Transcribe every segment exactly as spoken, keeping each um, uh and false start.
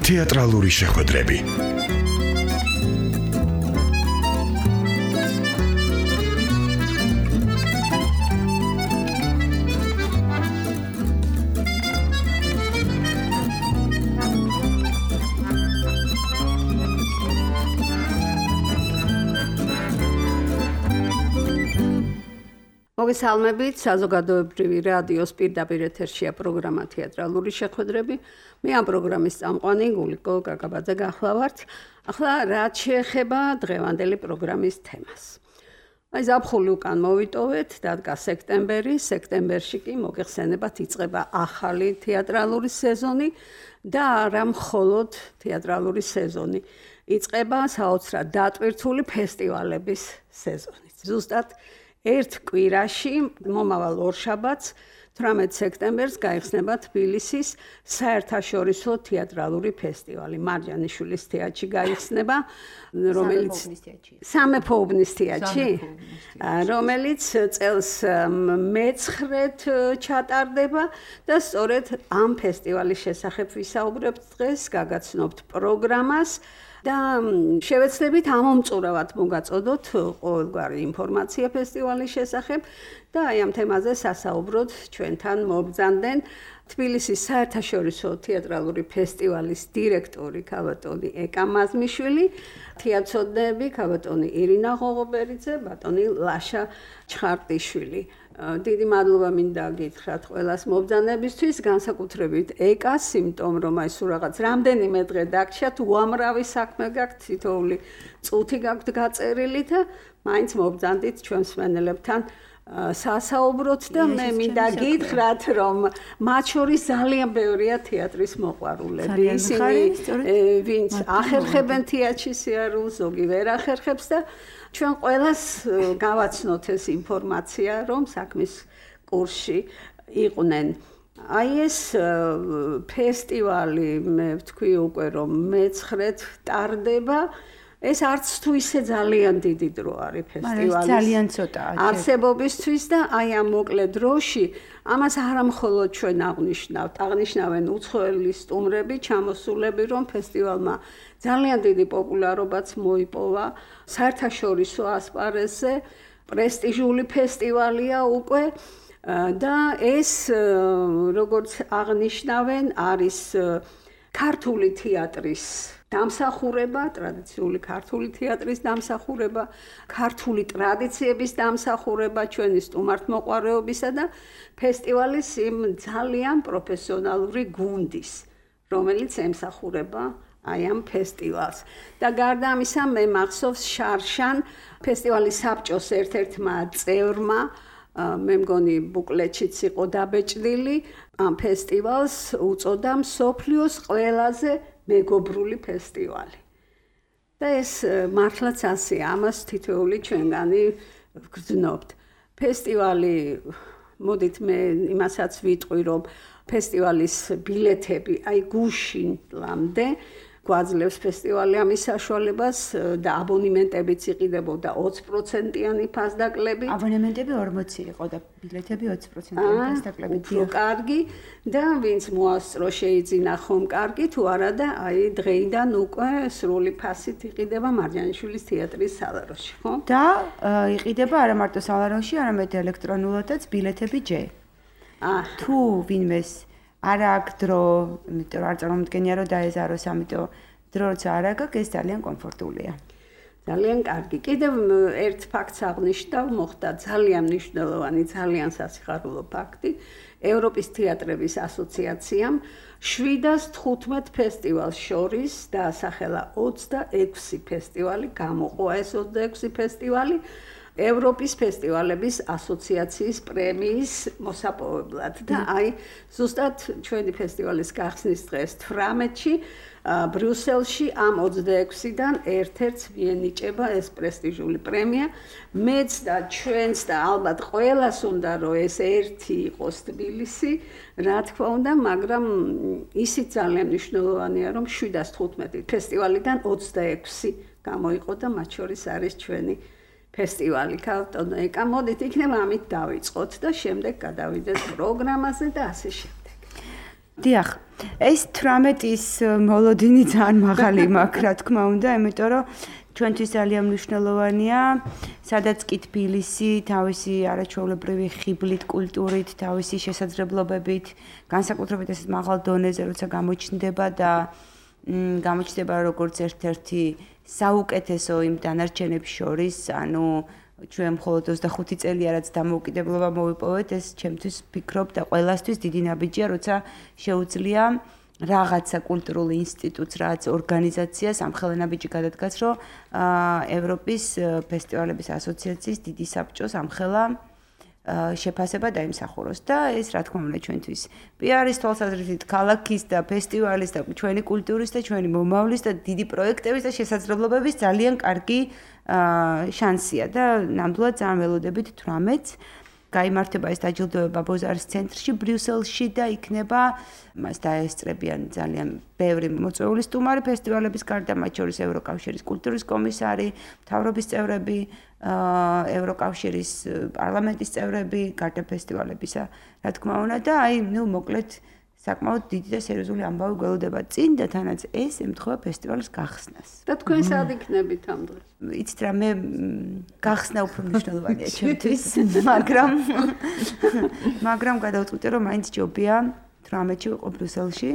თეატრალური შეხვედრები. მოგესალმებით, საზოგადოებრივი რადიოს პირდაპირ ეთერშია პროგრამა თეატრალური შეხვედრები. მე ამ პროგრამის წამყვანი გულიკო გაგაბაძე გახლავართ. ახლა რაც შეეხება დღევანდელი პროგრამის თემას. აი ზაფხული უკან მოვიტოვეთ, დადგა სექტემბერი, სექტემბერში კი მოგეხსენებათ იწყება ახალი თეატრალური სეზონი და არა მხოლოდ თეატრალური სეზონი. იწყება საოცრად დატვირთული ფესტივალების სეზონი. ზუსტად ერთ კვირაში მომავალ ორშაბათს თვრამეტ სექტემბერს გაიხსნება თბილისის საერთაშორისო თეატრალური ფესტივალი. მარჯანიშვილის თეატრში გაიხსნება, რომელიც სამეფო უბნის თეატრში, რომელიც წელს მეცხრედ ჩატარდება და სწორედ ამ ფესტივალის შესახებ ვისაუბრებთ დღეს, გაგაცნობთ პროგრამას. და შევეცდებით ამომწურავად მოგაწოდოთ ყოველგვარი ინფორმაცია ფესტივალის შესახებ და აი ამ თემაზე სასაუბროდ ჩვენთან მობრძანდნენ თბილისის საერთაშორისო თეატრალური ფესტივალის დირექტორი ქავატონი ეკა მაზმიშვილი, თეატრცოდნეები ქავატონი ირინა ღოღობერიძე, ბატონი ლაშა ჩხარტიშვილი. დიდი მადლობა მინდა გითხრათ ყველას მობრძანებისთვის, განსაკუთრებით ეკას, იმიტომ რომ აი სულ რაღაც რამდენიმე დღე დაგჭირთ, უამრავი საქმე გაქვთ, თითოეული წუთი გაქვთ გაწერილი და მაინც მობრძანდით ჩვენ მსმენელებთან სასაუბროთ და მე მინდა გითხრათ, რომ მათ შორის ძალიან ბევრია თეატრის მოყვარულები. ისინი ვინც ახერხებენ თეატრში სიარულს, ზოგი ვერ ახერხებს და ჩვენ ყველას გავაცნოთ ეს ინფორმაცია, რომ საქმის კურსში იყვნენ. აი ეს ფესტივალი, მე ვთქვი უკვე, რომ მეცხრედ ტარდება. ეს არც თუ ისე ძალიან დიდი დრო არის ფესტივალის. ძალიან ცოტაა. არსებობისთვის და აი ამ მოკლე დროში ამას არა მხოლოდ ჩვენ აღნიშნავთ, აღნიშნავენ უცხოელი სტუმრები, ჩამოსულები, რომ ფესტივალმა ძალიან დიდი პოპულარობაც მოიპოვა საერთაშორისო ასპარეზზე, პრესტიჟული ფესტივალია უკვე და ეს როგორც აღნიშნავენ არის ქართული თეატრის დამსახურება, ტრადიციული ქართული თეატრის დამსახურება, ქართული ტრადიციების დამსახურება, ჩვენი სტუმართმოყვარეობისა და ფესტივალის იმ ძალიან პროფესიონალური გუნდის, რომელიც ემსახურება აი ამ ფესტივალს. და გარდა ამისა, მე მახსოვს შარშან ფესტივალის საბჭოს ერთ-ერთმა წევრმა, მე მგონი ბუკლეტშიც იყო დაბეჭდილი, ამ ფესტივალს უწოდა მსოფლიოს ყველაზე მეგობრული ფესტივალი. და ეს მართლაც ასეა, ამას თითოეული ჩვენგანი ვგრძნობთ. ფესტივალი, მოდით მე იმასაც ვიტყვი, რომ ფესტივალის ბილეთები აი გუშინლამდე გვაძლევს ფესტივალი ამის საშუალებას და აბონემენტებიც იყიდებოდა ოცი პროცენტიანი ფასდაკლები. აბონემენტები ორმოცი იყო და ბილეთები ოცი პროცენტიანი ფასდაკლები. უფრო კარგი და ვინც მოასწრო შეიძინა ხომ კარგი, თუ არა და აი დღეიდან უკვე სრული ფასით იყიდება მარჯანიშვილის თეატრის სალაროში, ხო? და იყიდება არა მარტო სალაროში, არამედ ელექტრონულადაც ბილეთები ჯე. აა თუ ვინმეს არ აქვს დრო, იმიტომ რომ არ წარმომდგენია რომ დაეზაროს, ამიტომ დრო როცა არ აქვს, ეს ძალიან კომფორტულია. ძალიან კარგი. კიდევ ერთ ფაქტს აღნიშნავ, მოხდა ძალიან მნიშვნელოვანი, ძალიან სასიხარულო ფაქტი. ევროპის თეატრების ასოციაციამ შვიდას თხუთმეტ ფესტივალს შორის დაასახელა ოცდაექვსი ფესტივალი, გამოყო ეს ოცდაექვსი ფესტივალი ევროპის ფესტივალების ასოციაციის პრემიის მოსაპოვებლად და აი ზუსტად ჩვენი ფესტივალის გახსნის დღეს თვრამეტში ბრიუსელში ამ ოცდაექვსიდან ერთ-ერთს მიენიჭება ეს პრესტიჟული პრემია. მეც და ჩვენს და ალბათ ყველას უნდა რომ ეს ერთი იყოს თბილისი, რა თქმა უნდა, მაგრამ ისიც ძალიან მნიშვნელოვანია რომ შვიდას თხუთმეტი ფესტივალიდან ოცდაექვსი გამოიყო და მათ შორის არის ჩვენი ფესტივალი ქალტონეკა. მოდით იქნება ამით დავიწყოთ და შემდეგ გადავიდეთ პროგრამაზე და ასე შემდეგ. დიახ, ეს თვრამეტის მოლოდინი ძალიან მაღალი მაქვს, რა თქმა უნდა, იმიტომ რომ ჩვენთვის ძალიან მნიშვნელოვანია, სადაც კი თბილისი თავისი არაჩვეულებრივი ხიბლით, კულტურით, თავისი შესაძლებლობებით, განსაკუთრებით ეს მაღალ დონეზე, როცა გამოჩნდება და გამოჩნდება როგორც ერთ-ერთი საუკეთესო იმ დანარჩენებს შორის, ანუ ჩვენ მხოლოდ ოცდახუთი წელია რაც დამოუკიდებლობა მოვიპოვეთ, ეს ჩემთვის ვფიქრობ და ყველასთვის დიდი ნაბიჯია, როცა შეუძლია რაღაცა კულტურულ ინსტიტუტს, რაც ორგანიზაციას ამხელა ნაბიჯი გადადგას, რომ ევროპის ფესტივალების ასოციაციის დიდი საბჭოს ამხელა შეფასება დაიმსახუროს და ეს რა თქმა უნდა ჩვენთვის პიარის თვალსაზრისით, ქალაქის და ფესტივალის და ჩვენი კულტურის და ჩვენი მომავლის და დიდი პროექტების და შესაძლებლობების ძალიან კარგი შანსია და ნამდვილად ძალიან ველოდებით თვრამეტს გაიმართება ეს დაჯილდოება ბოზარის ცენტრში ბრიუსელში და იქნება მას დაესწრებიან ძალიან ბევრი მოწვეული სტუმარი ფესტივალების გარდა, მათ შორის ევროკავშირის კულტურის კომისარი, მთავრობის წევრები, ევროკავშირის პარლამენტის წევრები, გარდა ფესტივალებისა, რა თქმა უნდა და აი, ნუ მოკლედ საკმაოდ დიდი და სერიოზული ამბავი გველოდება წინ და თანაც ეს ემთხვევა ფესტივალის გახსნას. და თქვენ სად იქნებით ამ დროს? იცით რა, მე გახსნა უფრო მნიშვნელოვანია ჩემთვის, მაგრამ მაგრამ გადავწყვიტე რომ მაინც ჯობია თვრამეტში ვიყო ბრიუსელში.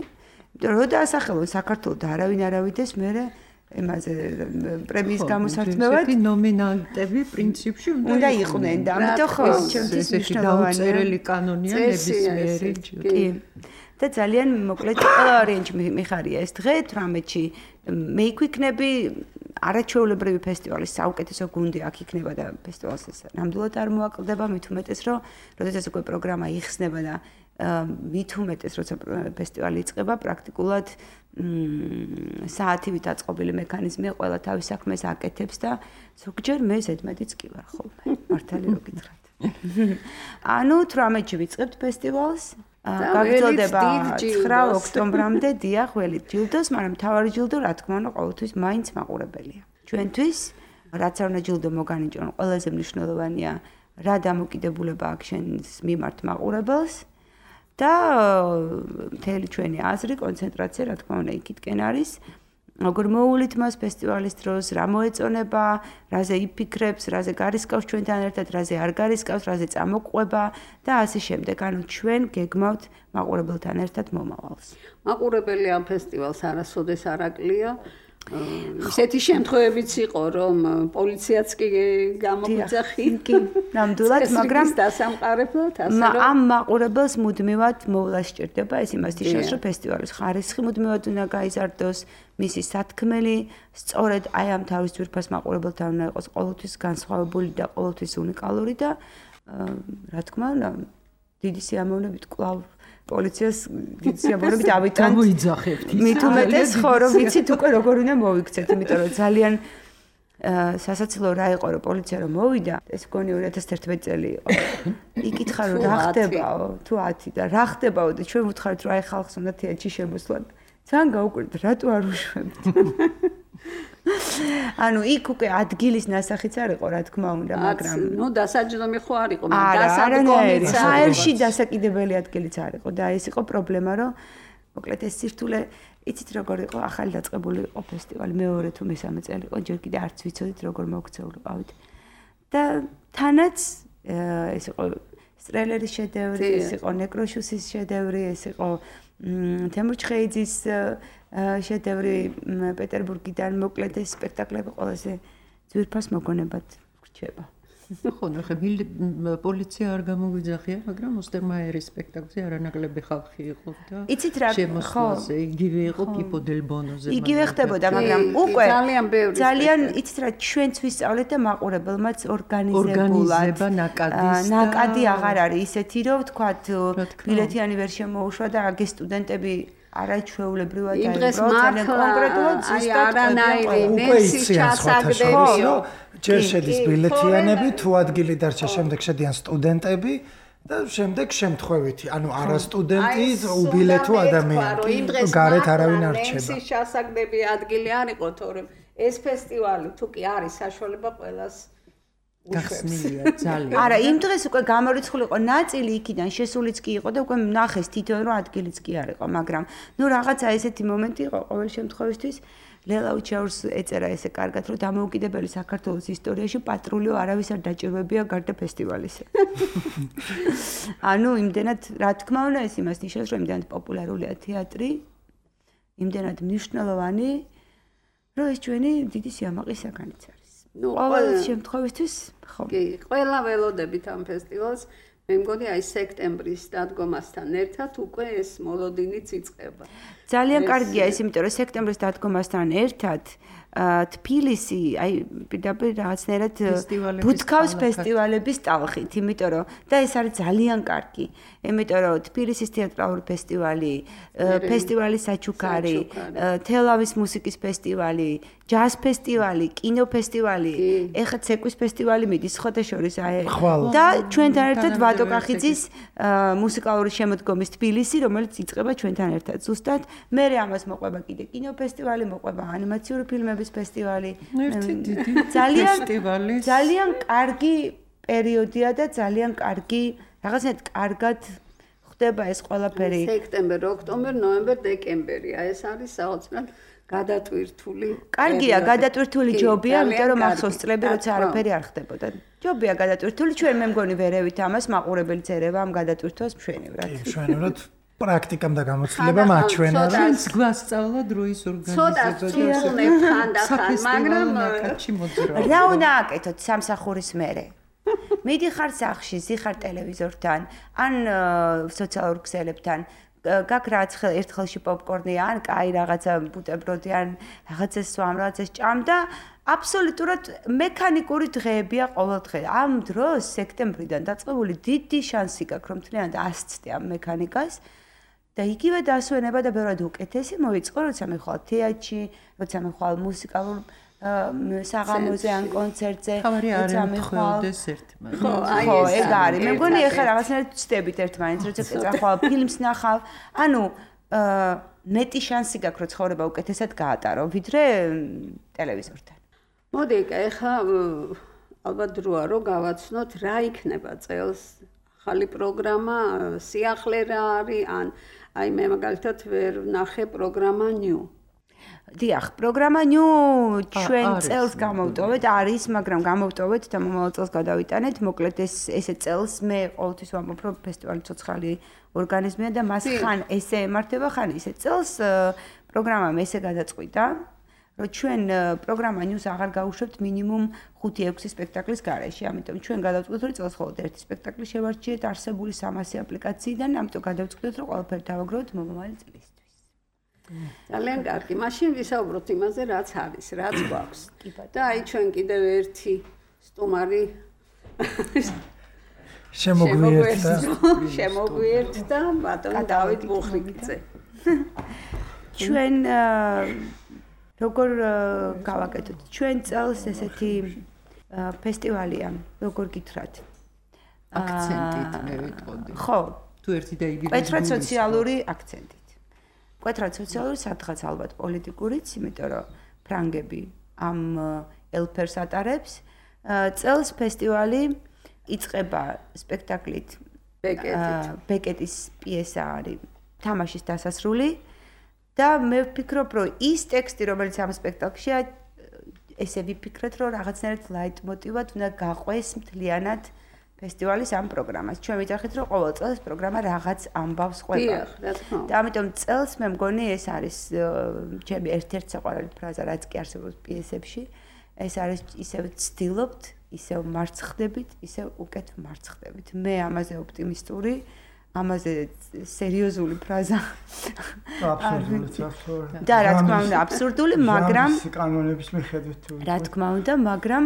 იმიტომ რომ და ასახელო საქართველოს და არავინ არავიდეს მე ემაზე პრემიის გამოსართმევად ნომინანტები პრინციპში უნდა იყვნენ და ამიტომ ხო ჩემთვის მნიშვნელოვანია დაუწერელი კანონია ნებისმიერი კი და ძალიან მოკლედ ყველა ვარიანტი მიხარია ეს დღე თვრამეტში მე იქვიქნები არაჩვეულებრივი ფესტივალის საუკეთესო გუნდი აქ იქნება და ფესტივალს ეს ნამდვილად არ მოაკლდება მით უმეტეს რომ როდესაც უკვე პროგრამა იხსნება და მით უმეტეს როცა ფესტივალი იწყება პრაქტიკულად საათივით აწყობილი მექანიზმია ყველა თავის საქმეს აკეთებს და ზოგჯერ მე ზედმეტიც კი ვარ ხოლმე მართალი რო გითხრათ ანუ თვრამეტში ვიწყებთ ფესტივალს გაგრძელდება ცხრა ოქტომბრამდე დიახ ველით ჯილდოს მაგრამ თავარი ჯილდო რა თქმა უნდა ყოველთვის მაინც მაყურებელია ჩვენთვის რაც არ უნდა ჯილდო მოგანიჭონ ყველაზე მნიშვნელოვანია რა დამოკიდებულება აქვს შენს მიმართ მაყურებელს და მთელი ჩვენი აზრი, კონცენტრაცია, რა თქმა უნდა, იქითკენ არის. როგორ მოულით მას ფესტივალის დროს, რა მოეწონება, რაზე იფიქრებს, რაზე გარისკავს ჩვენთან ერთად, რაზე არ გარისკავს, რაზე წამოყვება და ასე შემდეგ. ანუ ჩვენ გეგმავთ მაყურებელთან ერთად მომავალს. მაყურებელი ამ ფესტივალს არასოდეს არ აკლია. ისეთი შემთხვევებიც იყო, რომ პოლიციაც კი გამოგვიძახი, კი, ნამდვილად, მაგრამ დასამყარებლად, ასე რომ ამ მაყურებელს მუდმივად მოვლა სჭირდება, ეს იმას ნიშნავს, რომ ფესტივალის ხარისხი მუდმივად უნდა გაიზარდოს, მისი სათქმელი, სწორედ აი ამ თავის ძვირფას მაყურებელთან უნდა იყოს ყოველთვის განსხვავებული და ყოველთვის უნიკალური და რა თქმა უნდა, დიდი სიამოვნებით კვლავ პოლიციას გიციაბორებით ავიტანთ. გამოიძახებთ. მით უმეტეს ხო რომ ვიცით უკვე როგორ უნდა მოვიქცეთ, იმიტომ რომ ძალიან სასაცილო რა იყო რომ პოლიცია რომ მოვიდა, ეს გონი ორი ათას ერთმეტი წელი იყო. იკითხა რომ რა ხდებაო, თუ ათი და რა ხდებაო და ჩვენ ვუთხარით რომ აი ხალხს უნდა თეატრში შემოსვლან. ძალიან გაუკვირდით, რატო არ უშვებთ? ანუ იქ უკვე ადგილის ნასახიც არ იყო, რა თქმა უნდა, მაგრამ ნუ დასაჯდომი ხო არ იყო, მაგრამ დასადგომიც საერთში დასაკიდებელი ადგილიც არ იყო და ეს იყო პრობლემა, რომ მოკლედ ეს სირთულე, იცით როგორ იყო, ახალი დაწყებული იყო ფესტივალი, მეორე თუ მესამე წელი იყო, ჯერ კიდე არც ვიცოდით როგორ მოგცეულიყავით. და თანაც ეს იყო სტრელერის შედევრი, ეს იყო ნეკროშუსის შედევრი, ეს იყო თემურ ჩხეიძის შედევრი პეტერბურგიდან მოკლედ ეს სპექტაკლები ყველაზე ძვირფას მოგონებად რჩება. ხო, ნახე, პოლიცია არ გამოგვიძახია, მაგრამ ოსტერმაიერის სპექტაკლზე არანაკლები ხალხი იყო და იცით რა, ხო, იგივე იყო პიპო დელ ბონოზე. იგივე ხდებოდა, მაგრამ უკვე ძალიან ბევრი ძალიან იცით რა, ჩვენც ვისწავლეთ და მაყურებელმაც ორგანიზებულად ნაკადი აღარ არის ისეთი, რომ ვთქვათ, ბილეთიანი ვერ შემოუშვა და აგე სტუდენტები არაჩვეულებრივად აიღო ძალიან კონკრეტულად ზუსტად არანაირი ნექსი ჩასაგდებიო ჯერ შედის ბილეთიანები თუ ადგილი დარჩა შემდეგ შედიან სტუდენტები და შემდეგ შემთხვევითი ანუ არა სტუდენტი უბილეთო ადამიანი გარეთ არავინ არ რჩება ნექსი ჩასაგდები ადგილი არ იყო თორემ ეს ფესტივალი თუ კი არის საშუალება ყველას გახსნილია ძალიან. არა, იმ დღეს უკვე გამორიცხული იყო ნაწილი იქიდან, შესულიც კი იყო და უკვე ნახეს თითოეულ რომ ადგილიც კი არ იყო, მაგრამ ნუ რაღაცა ესეთი მომენტი იყო ყოველ შემთხვევისთვის ლელა უჩაურს ეწერა ესე კარგად, რომ დამოუკიდებელი საქართველოს ისტორიაში პატრულიო არავის არ დაჭირვებია გარდა ფესტივალისა. ანუ იმდენად, რა თქმა უნდა, ეს იმას ნიშნავს, რომ იმდენად პოპულარულია თეატრი, იმდენად მნიშვნელოვანი, რომ ეს ჩვენი დიდი სიამაყის საგანიც არის. ნუ ყოველ შემთხვევისთვის, ხო. კი, ყველა ველოდებით ამ ფესტივალს. მე მგონი აი სექტემბრის დადგომასთან ერთად უკვე ეს მოლოდინიც იწყება. ძალიან კარგია ეს, იმიტომ რომ სექტემბრის დადგომასთან ერთად თბილისი აი პირდაპირ რაღაცნაირად ბუთქავს ფესტივალების ტალხით, იმიტომ რომ და ეს არის ძალიან კარგი. იმიტომ რომ თბილისის თეატრალური ფესტივალი, ფესტივალი საჩუქარი, თელავის მუსიკის ფესტივალი, ჯაზ ფესტივალი, კინო ფესტივალი, ეხლა ცეკვის ფესტივალი მიდის ხოთაშორის აი და ჩვენთან ერთად ვატო კახიძის მუსიკალური შემოდგომის თბილისი, რომელიც იწყება ჩვენთან ერთად. ზუსტად მე ამას მოყვება კიდე კინო ფესტივალი, მოყვება ანიმაციური ფილმების ფესტივალი. ერთი დიდი ძალიან ფესტივალი. ძალიან კარგი პერიოდია და ძალიან კარგი, რაღაცნაირად კარგად ხდება ეს ყველაფერი. სექტემბერი, ოქტომბერი, ნოემბერი, დეკემბერი. აი ეს არის საოცრად გადატვირთული. კარგია, გადატვირთული ჯობია, იმიტომ რომ ახსოვს წლები, როცა არაფერი არ ხდებოდა. ჯობია გადატვირთული, ჩვენ მე მგონი ვერევით ამას მაყურებელიც ერევა ამ გადატვირთვას მშვენივრად. კი, მშვენივრად. პრაქტიკამ და გამოცდილებამ აჩვენა რა. ჩვენს გვასწავლა დროის ორგანიზება. ცოტა ვწუნებ ხანდახან, მაგრამ ნაკადში მოძრაობა. რა უნდა აკეთოთ სამსახურის მერე? მიდიხარ სახში, ზიხარ ტელევიზორთან, ან სოციალურ ქსელებთან. გაკ რაც ერთხელში პოპკორნი ან კაი რაღაცა ბუტებროდი ან რაღაცა სვამ რაღაცა ჭამ და აბსოლუტურად მექანიკური დღეებია ყოველ დღე. ამ დროს სექტემბრიდან დაწყებული დიდი შანსი გაქვს რომ თლიანად ასწდე ამ მექანიკას და იგივე დასვენება და ბევრად უკეთესი მოიწყო როცა მე ხვალ თეატრში, როცა მე ხვალ მუსიკალურ საღამოზე ან კონცერტზე, როცა მე ხვალ დესერტმა. ხო, აი ხო, ეგ არის. მე მგონი ეხლა რაღაცნაირად ვწდებით ერთმანეთს, როცა წახვალ ფილმს ნახავ, ანუ მეტი შანსი გაქვს რომ ცხოვრება უკეთესად გაატარო, ვიდრე ტელევიზორთან. მოდი, ეხლა ალბათ დროა რომ გავაცნოთ რა იქნება წელს ახალი პროგრამა, სიახლე რა არის, ან აი მე მაგალითად ვერ ვნახე პროგრამა ნიუ. დიახ, პროგრამა ნიუ ჩვენ წელს გამოვტოვეთ, არის, მაგრამ გამოვტოვეთ და მომავალ წელს გადავიტანეთ. მოკლედ ეს ესე წელს მე ყოველთვის ვამბობ, რომ ფესტივალი ცოცხალი ორგანიზმია და მას ხან ესე ემართება, ხან ისე. წელს პროგრამამ ესე გადაწყვიტა, რომ ჩვენ პროგრამა ნიუს აღარ გავუშვებთ მინიმუმ ხუთი ექვსი სპექტაკლის გარეშე. ამიტომ ჩვენ გადავწყვიტეთ, რომ წელს მხოლოდ ერთი სპექტაკლი შევარჩიეთ არსებული სამასი აპლიკაციიდან, ამიტომ გადავწყვიტეთ, რომ ყველაფერი დავაგროვოთ მომავალი წლისთვის. ძალიან კარგი. მაშინ ვისაუბროთ იმაზე, რაც არის, რაც გვაქვს. და აი ჩვენ კიდევ ერთი სტუმარი შემოგვიერთდა. შემოგვიერთდა ბატონ დავით ბუხრიკიძე. ჩვენ როგორ გავაკეთოთ? ჩვენ წელს ესეთი ფესტივალია, როგორ გითხრათ? აქცენტით მე ვიტყოდი. ხო, თუ ერთი და იგივე მკვეთრად სოციალური აქცენტით. მკვეთრად სოციალური, სადღაც ალბათ პოლიტიკურიც, იმიტომ რომ ფრანგები ამ ელფერს ატარებს. წელს ფესტივალი იწყება სპექტაკლით ბეკეტის პიესა არის თამაშის დასასრული და მე ვფიქრობ, რომ ის ტექსტი, რომელიც ამ სპექტაკლშია, ესე ვიფიქრეთ, რომ რაღაცნაირად ლაიტმოტივად უნდა გაყვეს მთლიანად ფესტივალის ამ პროგრამას. ჩვენ ვიძახით, რომ ყოველ წელს პროგრამა რაღაც ამბავს ყვება. დიახ, რა თქმა უნდა. და ამიტომ წელს მე მგონი ეს არის ჩემი ერთ-ერთი საყვარელი ფრაზა, რაც კი არსებობს პიესებში. ეს არის ისევ ცდილობთ, ისევ მარცხდებით, ისევ უკეთ მარცხდებით. მე ამაზე ოპტიმისტური, ამაზე სერიოზული ფრაზა. აბსურდული, აბსურდული. და რა თქმა უნდა, აბსურდული, მაგრამ კანონების მიხედვით თუ რა თქმა უნდა, მაგრამ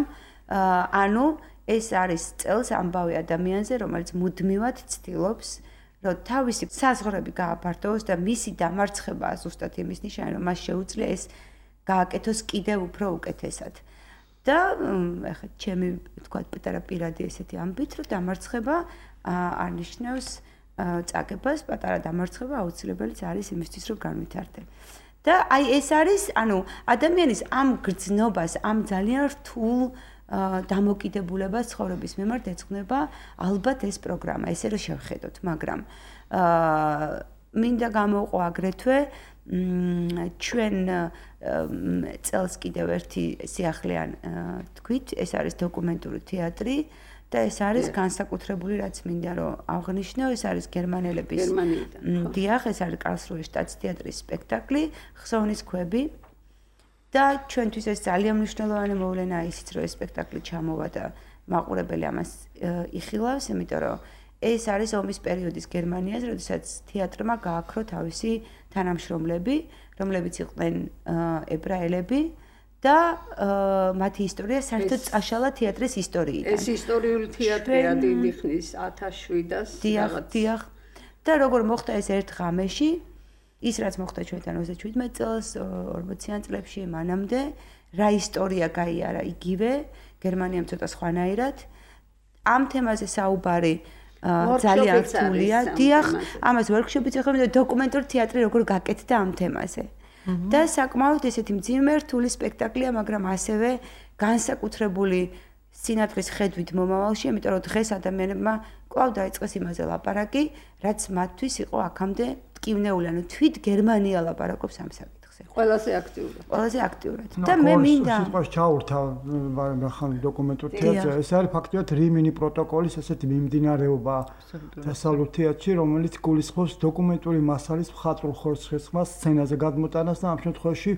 ანუ ეს არის წელს ამბავი ადამიანზე, რომელიც მუდმივად ცდილობს, რომ თავისი საზღვრები გააფართოვოს და მისი დამარცხება ზუსტად იმის ნიშანი, რომ მას შეუძლია ეს გააკეთოს კიდევ უფრო უკეთესად. და ეხლა ჩემი თქვა პატარა პირადი ესეთი ამბით, რომ დამარცხება არ ნიშნავს წაგებას, პატარა დამარცხება აუცილებელიც არის იმისთვის, რომ განვითარდე. და აი ეს არის, ანუ ადამიანის ამ გრძნობას, ამ ძალიან რთულ დამოკიდებულებას ცხოვრების მიმართ ეძღვნება ალბათ ეს პროგრამა, ესე რომ შევხედოთ, მაგრამ აა მინდა გამოვყო აგრეთვე ჩვენ წელს კიდევ ერთი სიახლეან თქვით, ეს არის დოკუმენტური თეატრი და ეს არის განსაკუთრებული, რაც მინდა რომ აღნიშნო, ეს არის გერმანელების დიახ, ეს არის კარლსრუჰის შტატსთეატრის სპექტაკლი, ხსოვნის ქვები და ჩვენთვის ეს ძალიან მნიშვნელოვანი მოვლენაა ისიც, რომ ეს სპექტაკლი ჩამოვა და მაყურებელი ამას იხილავს, იმიტომ რომ ეს არის ომის პერიოდის გერმანიას, როდესაც თეატრმა გააქრო თავისი თანამშრომლები, რომლებიც იყვნენ ებრაელები და მათი ისტორია საერთოდ წაშალა თეატრის ისტორიიდან. ეს ისტორიული თეატრია დიდი ხნის ათას შვიდას დიახ, დიახ. და როგორ მოხდა ეს ერთ ღამეში, ის რაც მოხდა ჩვენთან ოცდაშვიდმეტ წელს, ორმოციან წლებში მანამდე, რა ისტორია გაიარა იგივე, გერმანიამ ცოტა სხვანაირად. ამ თემაზე საუბარი ძალიან რთულია. დიახ, ამას ვორქშოპიც ეხება და დოკუმენტური თეატრი როგორ გაკეთდა ამ თემაზე. და საკმაოდ ესეთი მძიმე რთული სპექტაკლია, მაგრამ ასევე განსაკუთრებული სინათლის ხედვით მომავალში, იმიტომ რომ დღეს ადამიანებმა კვლავ დაიწყეს იმაზე ლაპარაკი, რაც მათთვის იყო აქამდე ტკივნეული, ანუ თვით გერმანია ლაპარაკობს ამ საკითხზე. ყველაზე აქტიურად. ყველაზე აქტიურად. და მე მინდა სიტყვაში ჩაურთა ხან დოკუმენტურ თეატრზე, ეს არის ფაქტობრივად რიმინი პროტოკოლის ესეთი მიმდინარეობა დასავლურ თეატრში, რომელიც გულისხმობს დოკუმენტური მასალის მხატვრულ ხორცხესხმას, სცენაზე გადმოტანას და ამ შემთხვევაში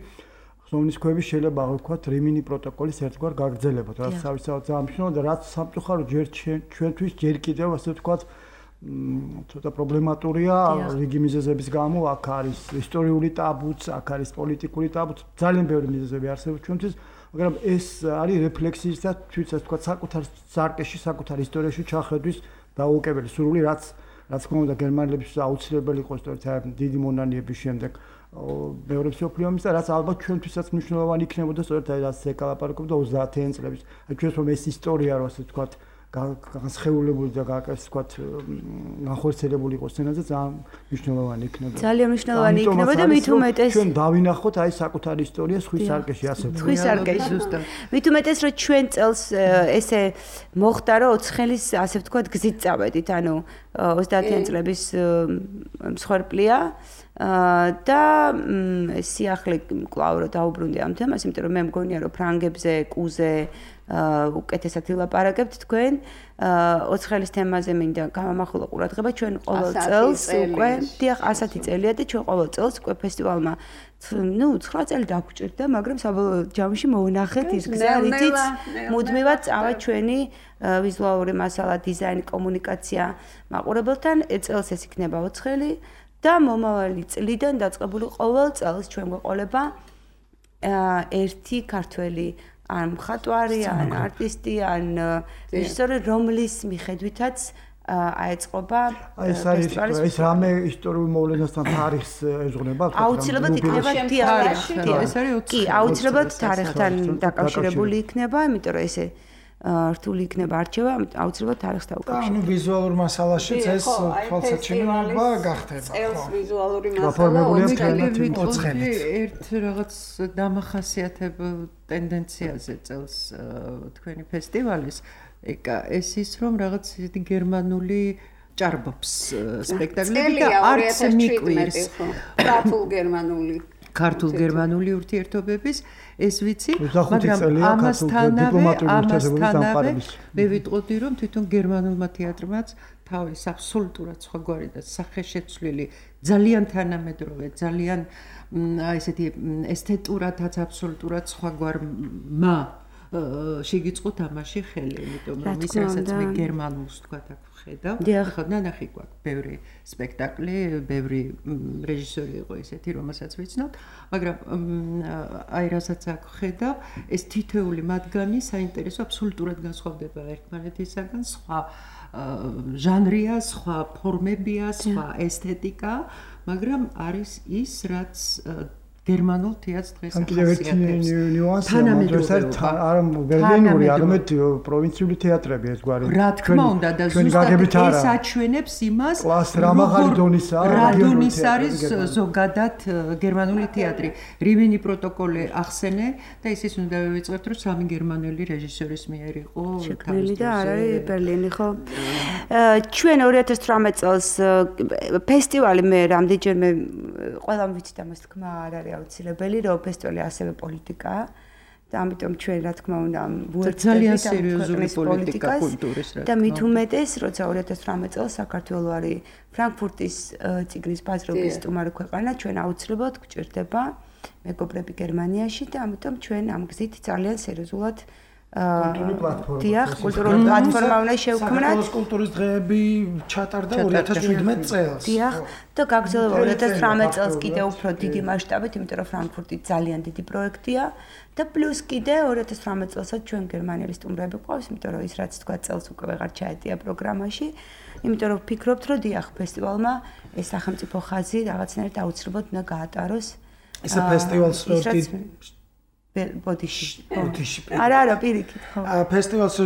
ხსოვნის ქვები შეიძლება ვთქვათ რიმინი პროტოკოლის ერთგვარ გაგრძელებად, რაც თავისთავად ძალიან მნიშვნელოვანია და რაც სამწუხაროდ ჯერ ჩვენთვის ჯერ კიდევ ასე ვთქვათ ცოტა პრობლემატურია რიგი მიზეზების გამო, აქ არის ისტორიული ტაბუც, აქ არის პოლიტიკური ტაბუც, ძალიან ბევრი მიზეზები არსებობს ჩვენთვის, მაგრამ ეს არის რეფლექსიის და თვითონ ასე ვთქვათ საკუთარ სარკეში, საკუთარ ისტორიაში ჩახედვის დაუოკებელი სურვილი, რაც რაც თქმა უნდა გერმანელებს აუცილებელი იყო სწორედ დიდი მონანიების შემდეგ მეორე მსოფლიო ომის და რაც ალბათ ჩვენთვისაც მნიშვნელოვანი იქნებოდა სწორედ რაც ეკალაპარაკობდა ოცდაათიან წლების. აი ჩვენს რომ ეს ისტორია რო ასე ვთქვათ განსხეულებული და გაკეთებული ვთქვათ განხორციელებული იყოს სცენაზე ძალიან მნიშვნელოვანი იქნება. ძალიან მნიშვნელოვანი იქნება და მით უმეტეს ჩვენ დავინახოთ აი საკუთარი ისტორია სხვის სარკეში ასე. სხვის სარკეში ზუსტად. მით უმეტეს რომ ჩვენ წელს ესე მოხდა რომ ოცხელის ასე ვთქვათ გზით წავედით, ანუ ოცდაათიან წლების მსხვერპლია და სიახლე კვლავ რო დაუბრუნდი ამ თემას, იმიტომ რომ მე მგონია რომ ფრანგებზე, კუზე უკეთესად ვილაპარაკებთ თქვენ ოცხელის თემაზე მინდა გამამახვილო ყურადღება ჩვენ ყოველ წელს უკვე დიახ ასეთი წელია და ჩვენ ყოველ წელს უკვე ფესტივალმა ნუ ცხრა წელი დაგვჭირდა, მაგრამ საბოლოო ჯამში მოვნახეთ ის გზა, რითიც მუდმივად წავა ჩვენი ვიზუალური მასალა, დიზაინი, კომუნიკაცია მაყურებელთან. წელს ეს იქნება ოცხელი და მომავალი წლიდან დაწყებული ყოველ წელს ჩვენ გვეყოლება ერთი ქართველი ან მხატვარი, ან არტისტი, ან რეჟისორი, რომლის მიხედვითაც აეწყობა ფესტივალის ეს რამე ისტორიულ მოვლენასთან თარიღს ეძღვნება? აუცილებლად იქნება თეატრში. ეს არის კი, აუცილებლად თარიღთან დაკავშირებული იქნება, იმიტომ რომ ესე რთული იქნება არჩევა, აუცილებლად თარიღს დაუკავშირდება. ანუ ვიზუალურ მასალაშიც ეს თვალსაჩინოება გახდება. წელს ვიზუალური მასალა ოცხელით. ერთ რაღაც დამახასიათებელ ტენდენციაზე წელს თქვენი ფესტივალის ეს ის რომ რაღაც ისეთი გერმანული ჭარბობს სპექტაკლები და არც მიკვირს ქართულ გერმანული ქართულ გერმანული ურთიერთობების ეს ვიცი, მაგრამ ამასთანავე ამასთანავე მე ვიტყოდი რომ თვითონ გერმანულმა თეატრმაც თავის აბსოლუტურად სხვაგვარი და სახეშეცვლილი ძალიან თანამედროვე, ძალიან აი ესეთი ესთეტურადაც აბსოლუტურად სხვაგვარმა შეგიწყო თამაში ხელი, იმიტომ რომ ის რასაც მე გერმანულს თქვა აქ ვხედავ, ხო ნანახი გვაქვს ბევრი სპექტაკლი, ბევრი რეჟისორი იყო ესეთი, რომელსაც ვიცნობ, მაგრამ აი რასაც აქ ვხედავ, ეს თითოეული მათგანი საინტერესო აბსოლუტურად განსხვავდება ერთმანეთისაგან, სხვა ჟანრია, სხვა ფორმებია, სხვა ესთეტიკა, მაგრამ არის ის, რაც გერმანულ თეატრს დღეს ახასიათებს. კიდევ ერთი ნიუანსია, მაგრამ არა ბერლინური, არამედ პროვინციული თეატრები ერთგვარი. რა თქმა უნდა და ზუსტად ეს აჩვენებს იმას, რა დონის არის ზოგადად გერმანული თეატრი. რივენი პროტოკოლი ახსენე და ისიც უნდა ვივიწყებთ, რომ სამი გერმანელი რეჟისორის მიერ იყო შექმნილი და არ არის ბერლინი, ხო? ჩვენ ორი ათას თვრამეტ წელს ფესტივალი მე რამდენჯერმე ყველამ ვიცით ამას თქმა არ არის აუცილებელი, რომ ფესტივალი ასევე პოლიტიკაა და ამიტომ ჩვენ რა თქმა უნდა ძალიან სერიოზული პოლიტიკა კულტურის რა და მით უმეტეს, როცა ორი ათას თვრამეტ წელს საქართველო არის ფრანკფურტის ციგნის ბაზრობის სტუმარი ქვეყანა, ჩვენ აუცილებლად გვჭირდება მეგობრები გერმანიაში და ამიტომ ჩვენ ამ გზით ძალიან სერიოზულად კულტურული პლატფორმა. დიახ, კულტურული პლატფორმა უნდა შევქმნათ. საქართველოს კულტურის დღეები ჩატარდა ორი ათას შვიდმეტ წელს. დიახ, და გაგრძელება ორი ათას თვრამეტ წელს კიდევ უფრო დიდი მასშტაბით, იმიტომ რომ ფრანკფურტი ძალიან დიდი პროექტია და პლუს კიდე ორი ათას თვრამეტ წელსაც ჩვენ გერმანელი სტუმრები გვყავს, იმიტომ რომ ის რაც თქვა წელს უკვე ვეღარ ჩაეტია პროგრამაში, იმიტომ რომ ვფიქრობთ, რომ დიახ, ფესტივალმა ეს სახელმწიფო ხაზი რაღაცნაირად აუცილებლად უნდა გაატაროს. ესე ფესტივალს ბოდიში. ბოდიში. არა, არა, პირიქით, ხო. ფესტივალს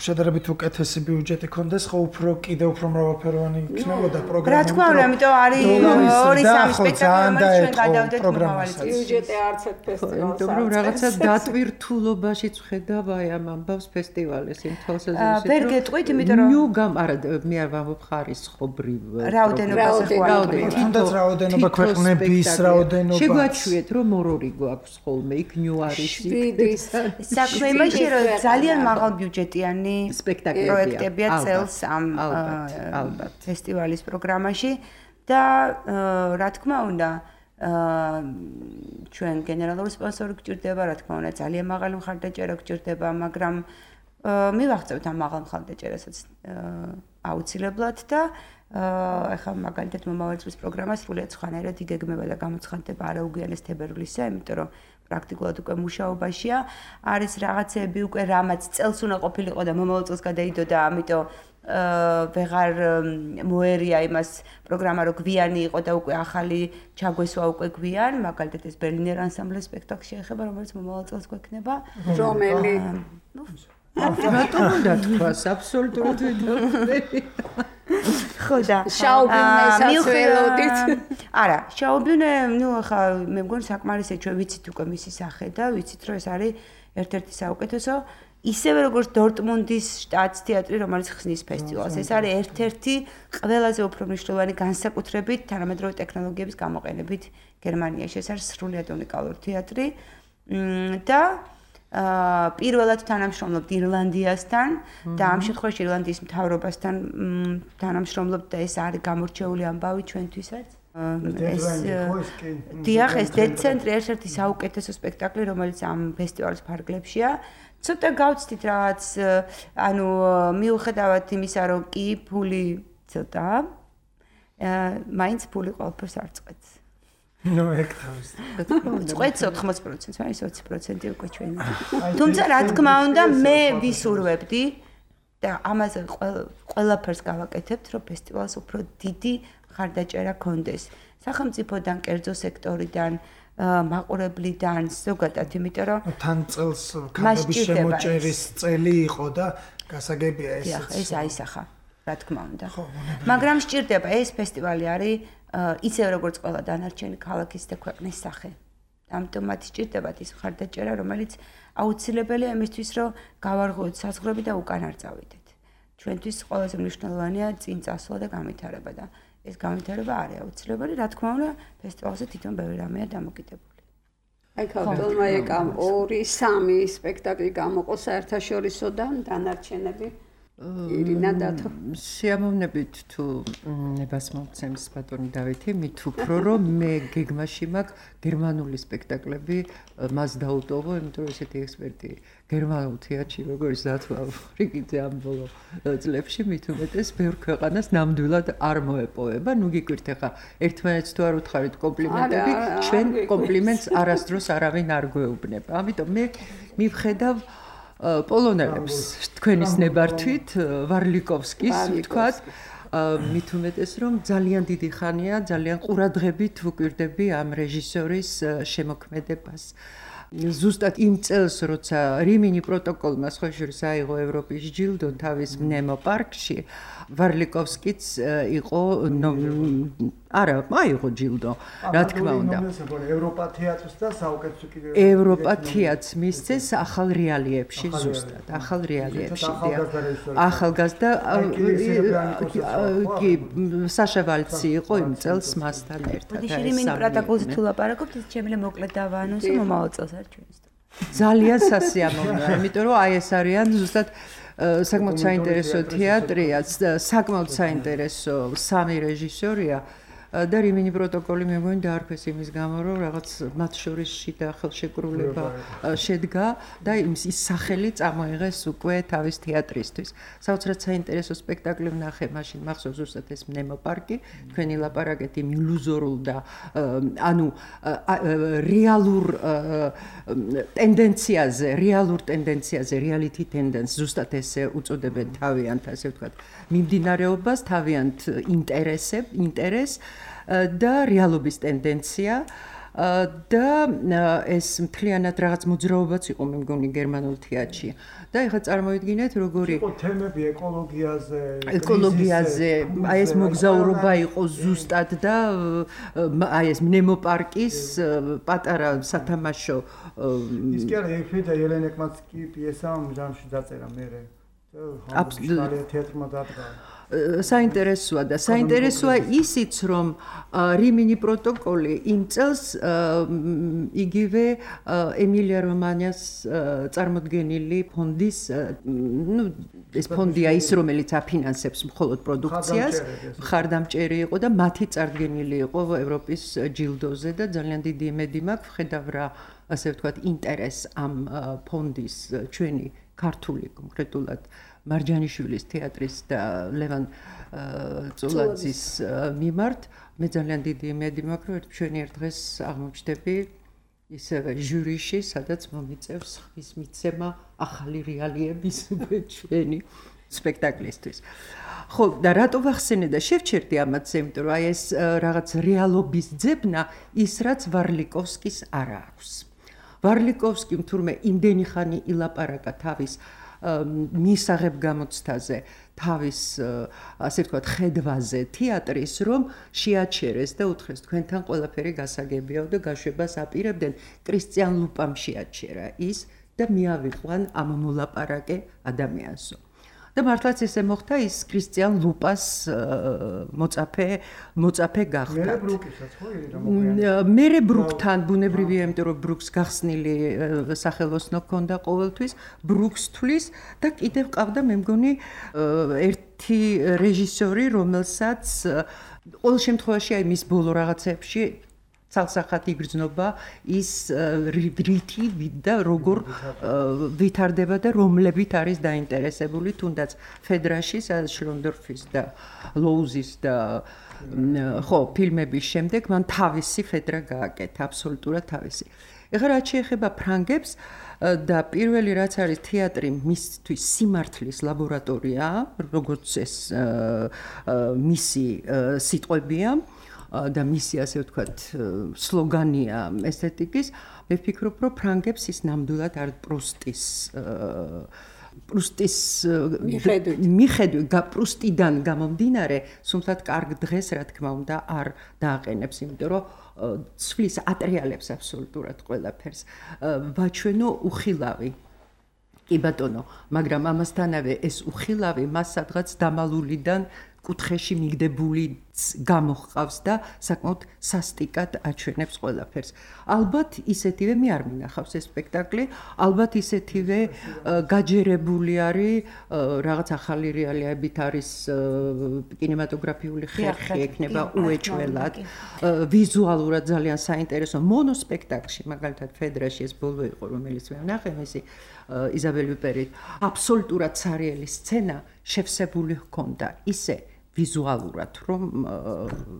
შედარებით უკეთესი ბიუჯეტი ქონდეს, ხო უფრო კიდე უფრო მრავალფეროვანი იქნებოდა პროგრამა. რა თქმა უნდა, ამიტომ არის ორი სამი სპექტაკლი, რომელიც ჩვენ გადავდეთ მომავალი წელს. ბიუჯეტი არც ერთ ფესტივალს. იმიტომ რომ რაღაცა დატვირთულობაში წხედავ აი ამ ამბავს ფესტივალის იმ თვალსაზრისით. ვერ გეტყვით, იმიტომ რომ ნიუ გამ არა მე არ ვამბობ ხარისხობრივ რაოდენობაზე რაოდენობა თუნდაც რაოდენობა ქვეყნების რაოდენობა შეგვაჩვიეთ რომ ორ-ორი გვაქვს ხოლმე იქ ნიუ საქმე იმაშია, რომ ძალიან მაღალ ბიუჯეტიანი პროექტებია წელს ამ ფესტივალის პროგრამაში და რა თქმა უნდა ჩვენ გენერალური სპონსორი გვჭირდება, რა თქმა უნდა ძალიან მაღალი მხარდაჭერა გვჭირდება, მაგრამ მივაღწევთ ამ მაღალ მხარდაჭერასაც აუცილებლად და ახლა მაგალითად მომავალი წლის პროგრამა სრულიად სხვანაირად იგეგმება და გამოცხადდება არაუგვიანეს თებერვლისზე, იმიტომ რომ პრაქტიკულად უკვე მუშაობაშია. არის რაღაცები უკვე რამაც წელს უნდა ყოფილიყო და მომავალ წელს გადაიდო და ამიტომ ვეღარ მოერია იმას პროგრამა რო გვიანი იყო და უკვე ახალი ჩაგვესვა უკვე გვიან, მაგალითად ეს ბერლინერ ანსამბლეს სპექტაკლი შეეხება, რომელიც მომავალ წელს გვექნება. რომელი? რატომ უნდა თქვას აბსოლუტურად ვიდეო. ხო და შაუბინესაც ველოდით. არა, შაუბინე, ნუ ახლა მე მგონი საკმარისია ჩვენ ვიცით უკვე მისი სახე და ვიცით რომ ეს არის ერთ-ერთი საუკეთესო ისევე როგორც დორტმუნდის შტატის თეატრი, რომელიც ხსნის ფესტივალს. ეს არის ერთ-ერთი ყველაზე უფრო მნიშვნელოვანი განსაკუთრებით თანამედროვე ტექნოლოგიების გამოყენებით გერმანიაში. ეს არის სრულიად უნიკალური თეატრი და აა პირველად თანამშრომლობთ ირლანდიასთან და ამ შემთხვევაში ირლანდიის მთავრობასთან თანამშრომლობთ და ეს არის გამორჩეული ამბავი ჩვენთვისაც. ეს დიახ, ეს დეცენტრი ერთ-ერთი საუკეთესო სპექტაკლი, რომელიც ამ ფესტივალის ფარგლებშია. ცოტა გავცდით რაღაც, ანუ მიუხედავად იმისა, რომ კი ფული ცოტა, აა მაინც ფული ყველაფერს არ წყვეტს. ნუ ეგ თავის. წყვეტს ოთხმოცი პროცენტს, არის ოცი პროცენტი უკვე ჩვენი. თუმცა რა თქმა უნდა, მე ვისურვებდი და ამაზე ყველაფერს გავაკეთებთ, რომ ფესტივალს უფრო დიდი მხარდაჭერა კონდეს. სახელმწიფოდან, კერძო სექტორიდან, მაყურებლიდან, ზოგადად, იმიტომ რომ თან წელს ქალების შემოჭერის წელი იყო და გასაგებია ეს. ეს აისახა, რა თქმა უნდა. მაგრამ სჭირდება ეს ფესტივალი არის ისევ როგორც ყველა დანარჩენი ქალაქის და ქვეყნის სახე. ამიტომ მათ სჭირდებათ ის მხარდაჭერა, რომელიც აუცილებელია იმისთვის, რომ გავარღვევთ საზღვრები და უკან არ წავიდეთ. ჩვენთვის ყველაზე მნიშვნელოვანია წინ წასვლა და განვითარება და ეს განვითარება არის აუცილებელი, რა თქმა უნდა, ფესტივალზე თვითონ ბევრი რამეა დამოკიდებული. აი ქალბატონმა ეკამ ორი სამი სპექტაკლი გამოყო საერთაშორისოდან დანარჩენები ირინა დათო შეამოვნებით თუ ნებას მომცემს ბატონი დავითი მით უფრო რომ მე გეგმაში მაქვს გერმანული სპექტაკლები მას დაუტოვო იმიტომ რომ ესეთი ექსპერტი გერმანულ თეატრში როგორც დათვა ფრიკიძე ამ ბოლო წლებში მით უმეტეს ბევრ ქვეყანას ნამდვილად არ მოეპოვება ნუ გიკვირთ ახლა ერთმანეთს თუ არ უთხარით კომპლიმენტები ჩვენ კომპლიმენტს არასდროს არავინ არ გვეუბნება ამიტომ მე მივხედავ პოლონელებს თქვენის ნებართვით ვარლიკოვსკის ვთქვათ მით უმეტეს რომ ძალიან დიდი ხანია, ძალიან ყურადღებით ვუკვირდები ამ რეჟისორის შემოქმედებას. ზუსტად იმ წელს, როცა რიმინი პროტოკოლმა სხვა შორის აიღო ევროპის ჯილდო თავის ნემო პარკში, ვარლიკოვსკიც იყო არა, აიღო ჯილდო, რა თქმა უნდა. ევროპა თეატრს და საუკეთესო კიდევ ევროპა თეატრს მისცეს ახალ რეალიებში ზუსტად, ახალ რეალიებში. ახალგაზრდა კი საშა ვალცი იყო იმ წელს მასთან ერთად. რიმინი პროტოკოლზე თუ ლაპარაკობთ, ის შემიძლია მოკლედ დავაანონსო მომავალ წელს არ ჩვენს. ძალიან სასიამოვნოა, იმიტომ რომ აი ეს არიან ზუსტად საკმაოდ საინტერესო თეატრია, საკმაოდ საინტერესო სამი რეჟისორია და რიმინი პროტოკოლი მე მგონი დაარქვეს იმის გამო, რომ რაღაც მათ შორის შიდა ხელშეკრულება შედგა და ის სახელი წამოიღეს უკვე თავის თეატრისთვის. საოცრად საინტერესო სპექტაკლი ვნახე, მაშინ მახსოვს ზუსტად ეს ნემო პარკი, თქვენი ლაპარაკეთ იმ ილუზორულ და ანუ რეალურ ტენდენციაზე, რეალურ ტენდენციაზე, reality tendency ზუსტად ესე უწოდებენ თავიანთ, ასე ვთქვათ, მიმდინარეობას, თავიანთ ინტერესებს, ინტერესს და რეალობის ტენდენცია და ეს მთლიანად რაღაც მოძრაობაც იყო მე მგონი გერმანულ თეატრში. და ეხლა წარმოიდგინეთ როგორი იყო თემები ეკოლოგიაზე, ეკოლოგიაზე, აი ეს მოგზაურობა იყო ზუსტად და აი ეს ნემო პარკის პატარა სათამაშო ის კი არა ეფრიდა ელენეკმაც კი პიესა ჟანრში დაწერა მერე. აბსოლუტურად თეატრმა დადგა. საინტერესოა და საინტერესოა ისიც რომ რიმინი პროტოკოლი იმ წელს იგივე ემილია რომანიას წარმოდგენილი ფონდის ნუ ეს ფონდია ის რომელიც აფინანსებს მხოლოდ პროდუქციას მხარდამჭერი იყო და მათი წარდგენილი იყო ევროპის ჯილდოზე და ძალიან დიდი იმედი მაქვს ვხედავ რა ასე ვთქვათ ინტერესს ამ ფონდის ჩვენი ქართული კონკრეტულად მარჯანიშვილის თეატრის და ლევან წულაძის მიმართ მე ძალიან დიდი იმედი მაქვს რომ ჩვენი ერთ დღეს აღმოჩნდები ისევე ჟურიში სადაც მომიწევს ხმის მიცემა ახალი რეალიების ჩვენი სპექტაკლისთვის. ხო და რატო ვახსენე და შევჩერდი ამათზე, იმიტომ რომ აი ეს რაღაც რეალობის ძებნა ის რაც ვარლიკოვსკის არ აქვს. ვარლიკოვსკიმ თურმე იმდენი ხანი ილაპარაკა თავის მისაღებ გამოცდაზე, თავის ასე ვთქვათ ხედვაზე თეატრის, რომ შეაჩერეს და უთხრეს თქვენთან ყველაფერი გასაგებიაო და გაშვებას აპირებდნენ. კრისტიან ლუპამ შეაჩერა ის და მიავიყვან ამ მოლაპარაკე ადამიანსო. და მართლაც ესე მოხდა ის კრისტიან ლუპას მოწაფე მოწაფე გახდა. მერე ბრუკისაც ხო ირა მერე ბრუკთან ბუნებრივია, იმიტომ რომ ბრუკს გახსნილი სახელოსნო ჰქონდა ყოველთვის, ბრუკს თulis და კიდევ ყავდა მე მგონი ერთი რეჟისორი, რომელსაც ყოველ შემთხვევაში აი მის ბოლო რაღაცებში ცალსახად იგრძნობა ის რითი და როგორ ვითარდება და რომლებით არის დაინტერესებული თუნდაც ფედრაში, სადაც შრონდორფის და ლოუზის და ხო ფილმების შემდეგ მან თავისი ფედრა გააკეთა, აბსოლუტურად თავისი. ეხლა რაც შეეხება ფრანგებს და პირველი რაც არის თეატრი მისთვის სიმართლის ლაბორატორია, როგორც ეს მისი სიტყვებია და მისი ასე ვთქვათ სლოგანია ესთეტიკის, მე ვფიქრობ, რომ ფრანგებს ის ნამდვილად არ პრუსტის პრუსტის მიხედვით, პრუსტიდან გამომდინარე, სულთად კარგ დღეს, რა თქმა უნდა, არ დააყენებს, იმიტომ რომ ცვლის ატრიალებს აბსოლუტურად ყველაფერს. ვაჩვენო უხილავი. კი ბატონო, მაგრამ ამასთანავე ეს უხილავი მას სადღაც დამალულიდან კუთხეში მიგდებული გამოჰყავს და საკმაოდ სასტიკად აჩვენებს ყველაფერს. ალბათ ისეთივე მე არ მინახავს ეს სპექტაკლი, ალბათ ისეთივე გაჯერებული არის, რაღაც ახალი რეალიებით არის კინემატოგრაფიული ხერხი ექნება უეჭველად, ვიზუალურად ძალიან საინტერესო მონოსპექტაკლში, მაგალითად ფედრაში ეს ბოლო იყო, რომელიც მე ვნახე, მისი იზაბელ ვიპერით, აბსოლუტურად სარიელი სცენა შევსებული ჰქონდა, ისე ვიზუალურად, რომ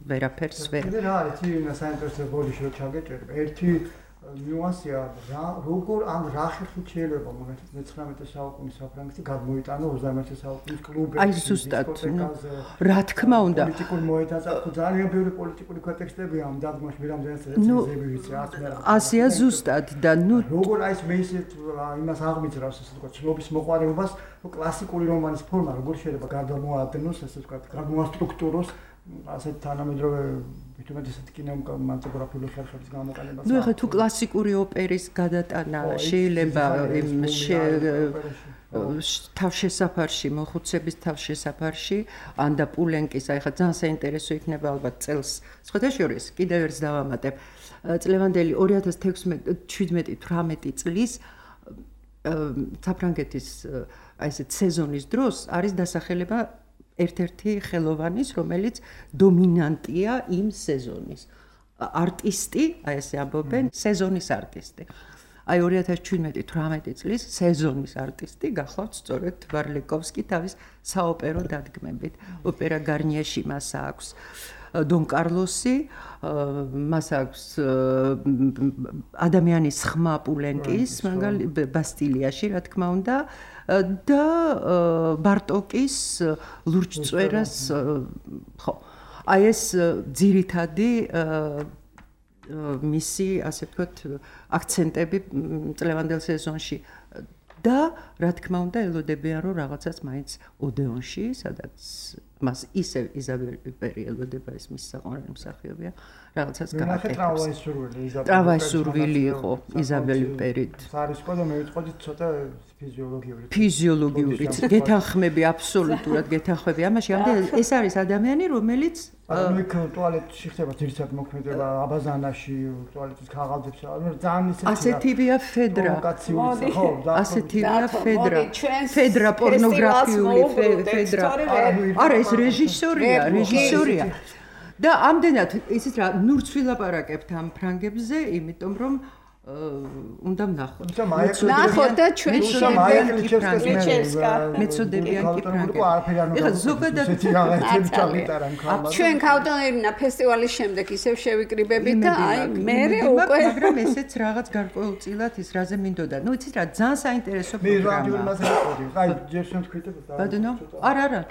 ვერაფერს ვერ. კიდე რა არის, ინა საინტერესო ბოდიში რო ჩაგეჭერებ. ერთი ნიუანსია რა როგორ ამ რა ხერხით შეიძლება მაგალითად მეცხრამეტე საუკუნის საფრანგეთი გადმოიტანო ოცდამეერთე საუკუნის კლუბებში აი ზუსტად რა თქმა უნდა პოლიტიკურ მოედანზე ძალიან ბევრი პოლიტიკური კონტექსტები ამ დადგმაში მე რამდენად რეცენზიები ვიცი არც მე ასია ზუსტად და ნუ როგორ აი მე ისეთ იმას აღმიძრავს ესე ვთქვათ ცნობის მოყვარებას კლასიკური რომანის ფორმა როგორ შეიძლება გადამოადნოს ესე ვთქვათ გადმოასტრუქტუროს ასეთ თანამედროვე ვიტყვით ესეთ კინემატოგრაფიული ხერხების გამოყენება. ნუ ეხლა თუ კლასიკური ოპერის გადატანა შეიძლება იმ თავშესაფარში, მოხუცების თავშესაფარში, ან და პულენკის, აი ხა ძალიან საინტერესო იქნება ალბათ წელს. სხვათა შორის კიდევ ერთს დავამატებ. წლევანდელი ორი ათას თექვსმეტი თვრამეტი წლის საფრანგეთის აი ესეთ სეზონის დროს არის დასახელება ერთ-ერთი ხელოვანის, რომელიც დომინანტია იმ სეზონის. არტისტი, აი ესე ამბობენ, სეზონის არტისტი. აი ორი ათას ჩვიდმეტი თვრამეტი წლის სეზონის არტისტი გახლავთ სწორედ ვარლიკოვსკი თავის საოპერო დადგმებით. ოპერა გარნიაში მას აქვს დონ კარლოსი, მას აქვს ადამიანის ხმა პულენკის, მაგალითად ბასტილიაში, რა თქმა უნდა. და ბარტოკის ლურჯწვერას ხო აი ეს ძირითადი მისი ასე ვთქვათ აქცენტები წლევანდელ სეზონში და რა თქმა უნდა ელოდებიან რომ რაღაცას მაინც ოდეონში სადაც მას ისე იზაბელი პერი ელოდება ეს მის საყვარელი მსახიობია რაღაცას გააკეთებს ტრავაისურვილი იყო იზაბელი პერით არის ყო და მე ვიტყოდი ცოტა ფიზიოლოგიური ფიზიოლოგიური გეთანხმები აბსოლუტურად გეთანხმები ამაში ამდენ ეს არის ადამიანი რომელიც ანუ იქ ტუალეტში ხდება ძირითადად მოქმედება აბაზანაში ტუალეტის ქაღალდებს ძალიან ისეთი ასეთივეა ფედრა ხო ასეთივეა ფედრა ფედრა პორნოგრაფიული ფედრა არა ეს რეჟისორია რეჟისორია და ამდენად ისიც რა ნურც ვილაპარაკებთ ამ ფრანგებზე იმიტომ რომ უნდა ვნახოთ. ნახოთ და ჩვენ შეგვიძლია მეცოდებიან კი ფრანგები. ეხლა ზოგადად ჩვენ ქავტონერინა ფესტივალის შემდეგ ისევ შევიკრიბებით და აი მე უკვე მაგრამ ესეც რაღაც გარკვეულწილად ის რაზე მინდოდა. ნუ იცით რა ძალიან საინტერესო პროგრამაა. აი ჯერ შემთხვით და ბადნო არა არა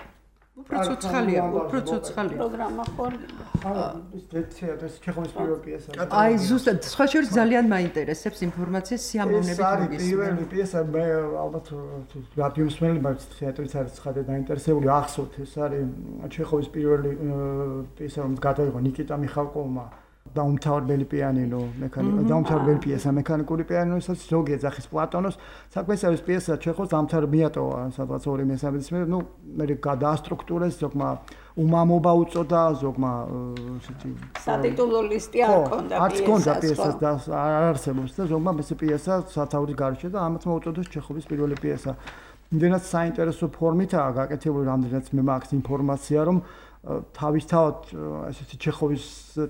უფრო ცოცხალია, უფრო ცოცხალია. პროგრამა ხარ. ის დეცია და ჩეხოვის პირველი პიესა. აი ზუსტად, სხვა შორის ძალიან მაინტერესებს ინფორმაცია სიამოვნებით მოგის. ეს პირველი პიესა მე ალბათ რადიოს მელებმა თეატრიც არის ცხადე დაინტერესებული ახსოვთ ეს არის ჩეხოვის პირველი პიესა რომ გადაიღო ნიკიტა მიხალკოვმა დაუმთავრებელი პიანინო მექანიკა დაუმთავრებელი პიესა მექანიკური პიანინოსაც ზოგი ეძახის პლატონოს საქმე ეს პიესა ჩეხოს დაამთავრ მიატოვა სადღაც ორი მესამედის მე ნუ მე გადაასტრუქტურეს ზოგმა უმამობა უწოდა ზოგმა ესეთი სატიტულო ლისტი არ ქონდა პიესას არც ქონდა პიესას და არ არსებობს და ზოგმა ეს პიესა სათაურის გარშე და ამათ მოუწოდეს ჩეხოვის პირველი პიესა იმდენად საინტერესო ფორმითაა გაკეთებული რამდენიც მე მაქვს ინფორმაცია რომ თავისთავად ესეთი ჩეხოვის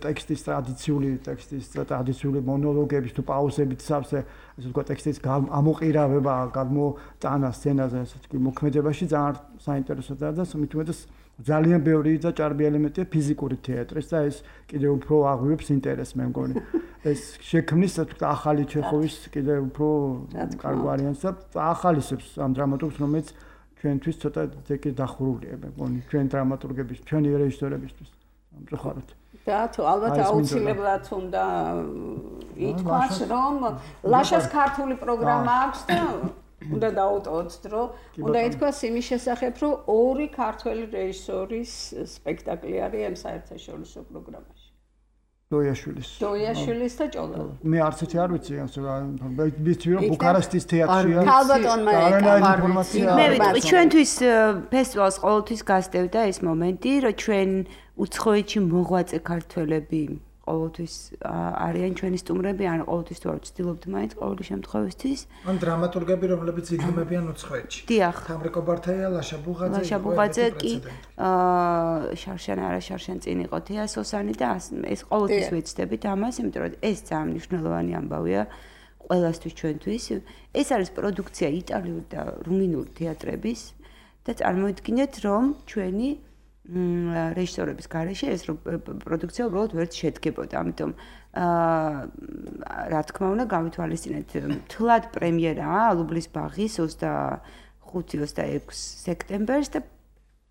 ტექსტის ტრადიციული ტექსტის ტრადიციული მონოლოგების თუ პაუზებით სავსე ესე ვთქვათ ტექსტის ამოყირავება გადმოტანა სცენაზე ესეთი მოქმედებაში ძალიან საინტერესოა და მით უმეტეს ძალიან ბევრი და ჭარბი ელემენტია ფიზიკური თეატრის და ეს კიდევ უფრო აღვივებს ინტერესს მე მგონი ეს შექმნის თქო ახალი ჩეხოვის კიდევ უფრო კარგ ვარიანტს და ახალისებს ამ დრამატურგს რომელიც ჩვენთვის ცოტა ზეკი დახურულია მე მგონი ჩვენ დრამატურგების ჩვენი რეჟისორებისთვის ამწუხაროდ და თუ ალბათ აუცილებლად უნდა ითქვას რომ ლაშას ქართული პროგრამა აქვს და უნდა დაუტოვოთ დრო უნდა ითქვას იმის შესახებ რომ ორი ქართველი რეჟისორის სპექტაკლი არის ამ საერთაშორისო პროგრამაში დოიაშვილის დოიაშვილის და ჭოლაძის მე არც ერთი არ ვიცი ასე რა ვიცი რომ ბუქარესტის თეატრია ქალბატონმა ეკა მე ვიტყვი ჩვენთვის ფესტივალს ყოველთვის გასდევდა ეს მომენტი რომ ჩვენ უცხოეთში მოღვაწე ქართველები ყოველთვის არიან ჩვენი სტუმრები ან ყოველთვის თუ არ ვცდილობთ მაინც ყოველი შემთხვევისთვის ან დრამატურგები რომლებიც იგმებიან უცხოეთში დიახ თამრიკო ბართაია ლაშა ბუღაძე ლაშა ბუღაძე კი აა შარშან არა შარშან წინ იყო თეა სოსანი და ეს ყოველთვის ვეცდებით ამას იმიტომ რომ ეს ძალიან მნიშვნელოვანი ამბავია ყველასთვის ჩვენთვის ეს არის პროდუქცია იტალიური და რუმინული თეატრების და წარმოიდგინეთ რომ ჩვენი რეჟისორების გარეშე ეს პროდუქცია უბრალოდ ვერ შედგებოდა. ამიტომ აა რა თქმა უნდა გავითვალისწინეთ თლად პრემიერაა ალუბლის ბაღის ოცდახუთი ოცდაექვსი სექტემბერს და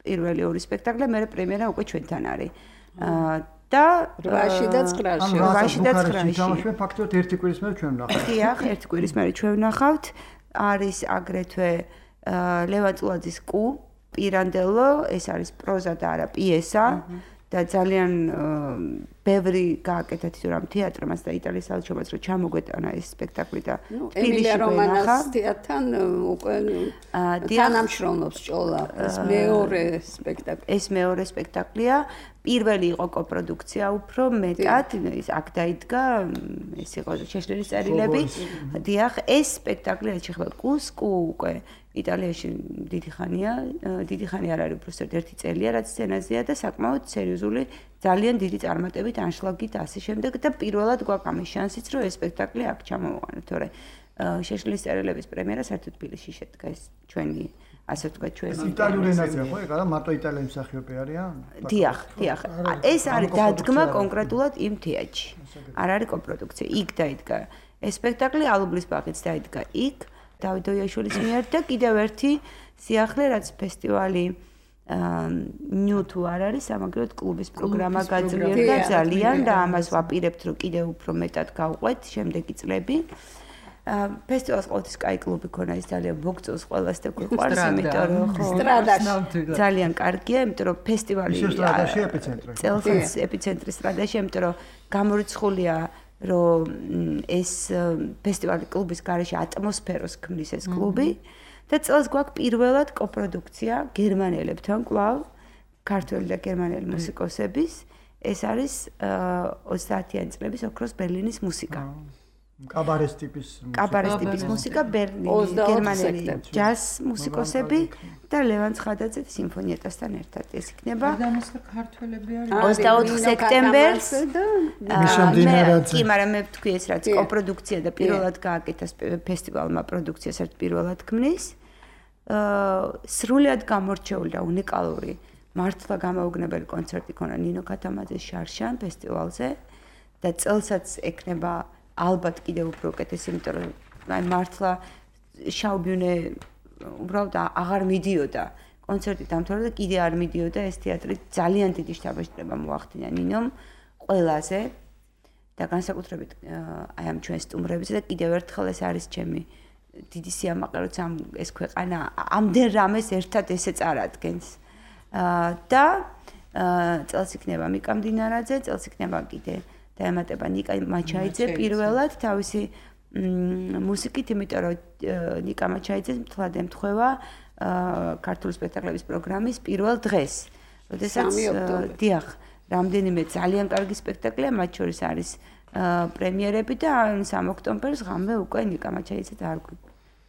პირველი ორი სპექტაკლი მე პრემიერა უკვე ჩვენთან არის. აა და რვაში და ცხრაში. რვაში და ცხრაში. თამაშობენ ფაქტობრივად ერთი კვირის მერე ჩვენ ვნახავთ. დიახ, ერთი კვირის მერე ჩვენ ვნახავთ. არის აგრეთვე ლევან წულაძის კუ პირანდელო, ეს არის პროზა და არა პიესა და ძალიან ბევრი გააკეთა თვითონ თეატრმაც და იტალიის საელჩომაც რომ ჩამოგვეტანა ეს სპექტაკლი და ემილია რომანას თეატრთან უკვე თანამშრომლობს ჭოლა. ეს მეორე სპექტაკლი. ეს მეორე სპექტაკლია. პირველი იყო კოპროდუქცია უფრო მეტად, ის აქ დაიდგა, ეს იყო შეშლილის წერილები. დიახ, ეს სპექტაკლი რაც შეხება კუს, კუ უკვე იტალიაში დიდი ხანია, დიდი ხანი არ არის უბრალოდ ერთი წელია რაც სცენაზეა და საკმაოდ სერიოზული, ძალიან დიდი წარმატებით, ანშლაგით ასე შემდეგ და პირველად გვაქვს ამის შანსიც რომ ეს სპექტაკლი აქ ჩამოვაყენოთ, თორე შეშლილის წერილების პრემიერა საერთოდ თბილისში შედგა ეს ჩვენი ასე ვთქვათ ჩვენი იტალიური ენაზეა ხო? ეგ არა მარტო იტალიელი მსახიობი არიან? დიახ, დიახ. ეს არის დადგმა კონკრეტულად იმ თეატრში. არ არის კოპროდუქცია. იქ დაიდგა ეს სპექტაკლი ალუბლის ბაღიც დაიდგა იქ. დავით ოიაშვილის მიერ და კიდევ ერთი სიახლე რაც ფესტივალი ნიუ თუ არ არის სამაგიეროდ კლუბის პროგრამა გაძლიერდა ძალიან და ამას ვაპირებთ რომ კიდევ უფრო მეტად გავყვეთ შემდეგი წლები. ფესტივალს ყოველთვის კაი კლუბი ქონა ის ძალიან მოგწონს ყველას და გვიყვარს იმიტომ რომ სტრადაში ძალიან კარგია იმიტომ რომ ფესტივალი სტრადაში ეპიცენტრი წელს ეპიცენტრი სტრადაში იმიტომ რომ გამორიცხულია რომ ეს ფესტივალი კლუბის გარეშე ატმოსფეროს ქმნის ეს კლუბი და წელს გვაქვს პირველად კოპროდუქცია გერმანელებთან კვლავ ქართველი და გერმანელი მუსიკოსების ეს არის ოცდაათიანი წლების ოქროს ბერლინის მუსიკა კაბარეს ტიპის კაბარეს ტიპის მუსიკა ბერლინში გერმანელი ჯაზ მუსიკოსები და ლევან ცხადაძე სიმფონიეტასთან ერთად ეს იქნება ქართველები არის ოცდაოთხ სექტემბერს მიშამდინარაძე კი მაგრამ მე ვთქვი ეს რაც კოპროდუქცია და პირველად გააკეთა ფესტივალმა პროდუქცია საერთოდ პირველად ქმნის სრულად გამორჩეული და უნიკალური მართლა გამაოგნებელი კონცერტი ქონა ნინო ქათამაძის შარშან ფესტივალზე და წელსაც ექნება ალბათ კიდევ უფრო უკეთესი, იმიტომ რომ აი მართლა შაუბიუნე უბრალოდ აღარ მიდიოდა კონცერტი დამთავრდა და კიდე არ მიდიოდა ეს თეატრი ძალიან დიდი შთაბეჭდილება მოახდინა ნინომ ყველაზე და განსაკუთრებით აი ამ ჩვენ სტუმრებზე და კიდევ ერთხელ ეს არის ჩემი დიდი სიამაყე რომ ამ ეს ქვეყანა ამდენ რამეს ერთად ესე წარადგენს და წელს იქნება მიკა მდინარაძე წელს იქნება კიდე დაემატება ნიკა მაჩაიძე პირველად თავისი მუსიკით, იმიტომ რომ ნიკა მაჩაიძე მთლად ემთხვევა ქართული სპექტაკლების პროგრამის პირველ დღეს. როდესაც დიახ, რამდენიმე ძალიან კარგი სპექტაკლია, მათ შორის არის პრემიერები და სამი ოქტომბერს ღამე უკვე ნიკა მაჩაიძე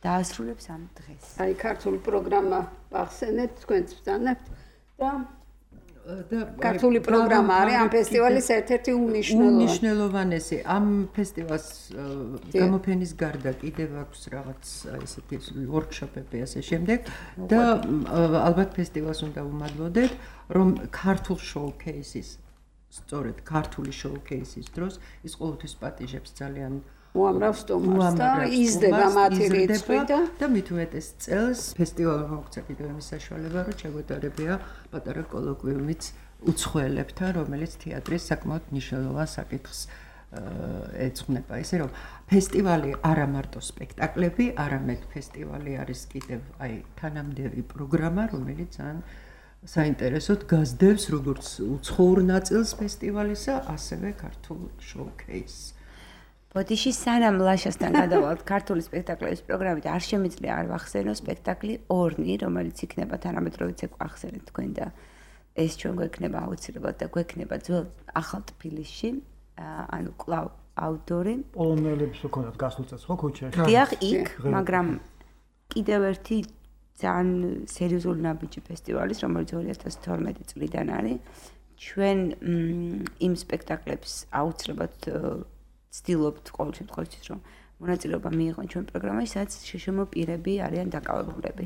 დაასრულებს ამ დღეს. აი ქართული პროგრამა ახსენეთ, თქვენც ბრძანებთ და და ქართული პროგრამა არის ამ ფესტივალის ერთ-ერთი უნიშნელოვანესი. ამ ფესტივალს გამოფენის გარდა კიდევ აქვს რაღაც ესეთი ვორქშოპები ასე შემდეგ და ალბათ ფესტივალს უნდა უმადლოდეთ, რომ ქართულ შოუკეისის, სწორედ ქართული შოუკეისის დროს ის ყოველთვის პატიჟებს ძალიან უამრავ სტუმარს და იზრდება მათი რიცხვი და მით უმეტეს წელს ფესტივალმა მოგვცა კიდევ იმის საშუალება, რომ შეგვეტარებია პატარა კოლოკვიუმიც უცხოელებთან, რომელიც თეატრის საკმაოდ მნიშვნელოვან საკითხს ეძღვნება. ისე რომ ფესტივალი არა მარტო სპექტაკლები, არამედ ფესტივალი არის კიდევ აი თანამდები პროგრამა, რომელიც ძალიან საინტერესოდ გასდევს როგორც უცხოურ ნაწილს ფესტივალისა, ასევე ქართულ შოუკეისს. ბოდიში სანამ ლაშასთან გადავალთ ქართული სპექტაკლების პროგრამით არ შემიძლია არ ვახსენო სპექტაკლი ორნი, რომელიც იქნება თანამედროვეც ახსენეთ თქვენ და ეს ჩვენ გვექნება აუცილებლად და გვექნება ძველ ახალ თბილისში, ანუ კლავ აუდიტორი. პოლონელებს უქონათ გასულ წელს ხო ქუჩაში? დიახ, იქ, მაგრამ კიდევ ერთი ძალიან სერიოზული ნაბიჯი ფესტივალის, რომელიც ორი ათას თორმეტი წლიდან არის. ჩვენ იმ სპექტაკლებს აუცილებლად ვცდილობთ ყოველ შემთხვევაში რომ მონაწილეობა მიიღონ ჩვენ პროგრამაში, სადაც შეშმო პირები არიან დაკავებულები.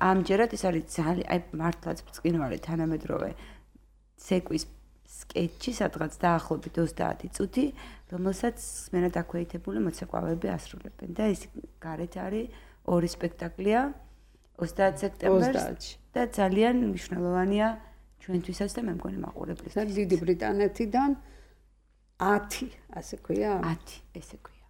ამჯერად ეს არის ძალიან აი მართლაც ბრწყინვალე თანამედროვე ცეკვის სკეჩი, სადღაც დაახლოებით ოცდაათი წუთი, რომელსაც მერად აქვეითებული მოცეკვავები ასრულებენ და ის გარეთ არის ორი სპექტაკლია ოცდაათი სექტემბერს და ძალიან მნიშვნელოვანია ჩვენთვისაც და მე მგონი მაყურებლისთვის. დიდი ბრიტანეთიდან ათი, ასე ქვია? ათი, ესე ქვია.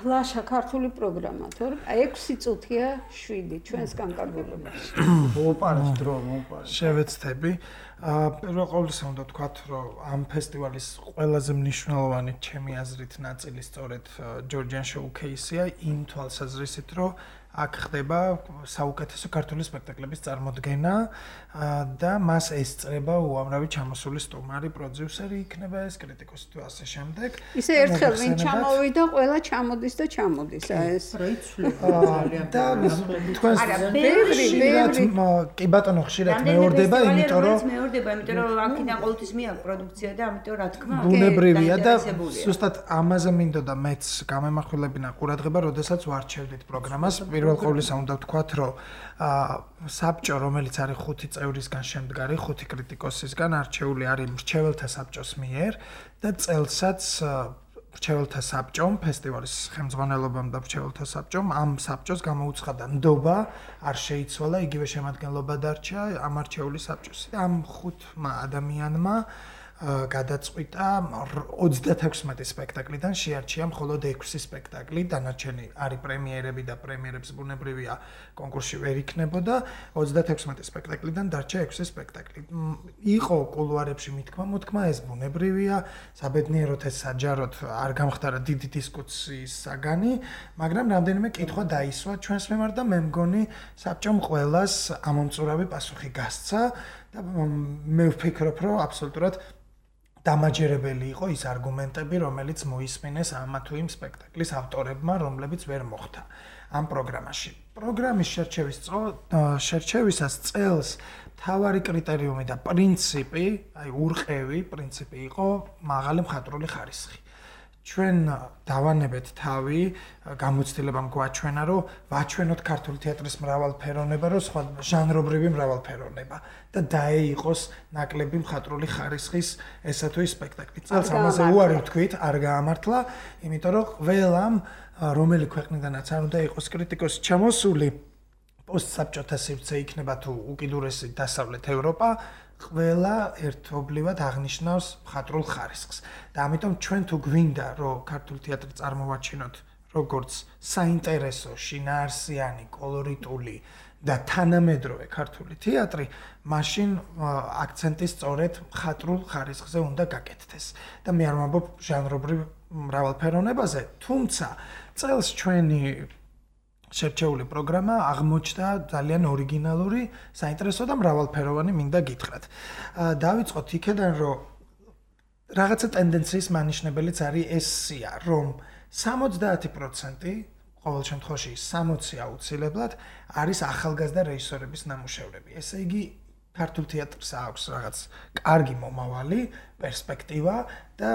ლაშა ქართული პროგრამა, თორე ექვსი წუთია შვიდი ჩვენს განკარგულებაში. მოუპარეს დრო, მოუპარეს. შევეცდები. აა პირველ ყოვლისა უნდა ვთქვათ, რომ ამ ფესტივალის ყველაზე მნიშვნელოვანი ჩემი აზრით ნაწილი სწორედ Georgian Showcase-ია იმ თვალსაზრისით, რომ აქ ხდება საუკეთესო ქართული სპექტაკლების წარმოდგენა და მას ესწრება უამრავი ჩამოსული სტუმარი, პროდიუსერი იქნება ეს, კრიტიკოსი თუ ასე შემდეგ. ისე ერთხელ ვინ ჩამოვიდა, ყველა ჩამოდის და ჩამოდის, ეს პროიცვლება ძალიან. და თქვენ ბევრი, ბევრი კი ბატონო ხშირად მეორდება, იმიტომ რომ მეორდება, იმიტომ რომ აქედან ყოველთვის მეაქვს პროდუქცია და ამიტომ რა თქმა უნდა ბუნებრივია და ზუსტად ამაზე მინდოდა მეც გამემახვილებინა ყურადღება, როდესაც ვარჩევდით პროგრამას. პირველ ყოვლისა უნდა ვთქვათ, რომ საბჭო, რომელიც არის ხუთი წევრისგან შემდგარი, ხუთი კრიტიკოსისგან არჩეული არის მრჩეველთა საბჭოს მიერ და წელსაც მრჩეველთა საბჭომ, ფესტივალის ხელმძღვანელობამ და მრჩეველთა საბჭომ ამ საბჭოს გამოუცხადა ნდობა, არ შეიცვალა, იგივე შემადგენლობა დარჩა ამ არჩეული საბჭოს. ამ ხუთმა ადამიანმა გადაწყვიტა ოცდათექვსმეტი სპექტაკლიდან შეარჩია მხოლოდ ექვსი სპექტაკლი, დანარჩენი არის პრემიერები და პრემიერებს ბუნებრივია კონკურსში ვერ იქნებოდა, ოცდათექვსმეტი სპექტაკლიდან დარჩა ექვსი სპექტაკლი. იყო კულუარებში მithქმა მოთქმა, ეს ბუნებრივია, საბედნიეროდ ეს საჯაროდ არ გამხდარა დიდი დისკუსიის საგანი, მაგრამ რამდენიმე კითხვა დაისვა ჩვენს მიმართ და მე მგონი საბჭომ ყველას ამომწურავი პასუხი გასცა და მე ვფიქრობ, რომ აბსოლუტურად დამაჯერებელი იყო ის არგუმენტები, რომელიც მოისმინეს ამა თუ იმ სპექტაკლის ავტორებმა, რომლებიც ვერ მოხდა ამ პროგრამაში. პროგრამის შერჩევის შერჩევისას წელს მთავარი კრიტერიუმი და პრინციპი, აი ურყევი პრინციპი იყო მაღალი მხატვრული ხარისხი. ჩვენ დავანებეთ თავი, გამოცდილებამ გვაჩვენა, რომ ვაჩვენოთ ქართული თეატრის მრავალფეროვნება, რომ სხვა ჟანრობრივი მრავალფეროვნება და დაეიყოს ნაკლები მხატვრული ხარისხის ესა თუ ის სპექტაკლი. წელს ამაზე უარი ვთქვით, არ გაამართლა, იმიტომ რომ ყველამ, რომელი ქვეყნიდანაც არ უნდა იყოს კრიტიკოსი ჩამოსული, პოსტსაბჭოთა სივრცე იქნება თუ უკიდურესი დასავლეთ ევროპა, ყველა ერთობლივად აღნიშნავს მხატვრულ ხარისხს. და ამიტომ ჩვენ თუ გვინდა, რომ ქართული თეატრი წარმოვაჩინოთ როგორც საინტერესო, შინაარსიანი, კოლორიტული და თანამედროვე ქართული თეატრი, მაშინ აქცენტი სწორედ მხატვრულ ხარისხზე უნდა გაკეთდეს. და მე არ ვამბობ ჟანრობრივ მრავალფეროვნებაზე, თუმცა წელს ჩვენი შერჩეული პროგრამა აღმოჩნდა ძალიან ორიგინალური, საინტერესო და მრავალფეროვანი მინდა გითხრათ. დავიწყოთ იქედან, რომ რაღაცა ტენდენციის მანიშნებელიც არის ეს სია, რომ სამოცდაათი პროცენტი, ყოველ შემთხვევაში სამოცი აუცილებლად არის ახალგაზრდა რეჟისორების ნამუშევრები. ესე იგი, ქართულ თეატრს აქვს რაღაც კარგი მომავალი, პერსპექტივა და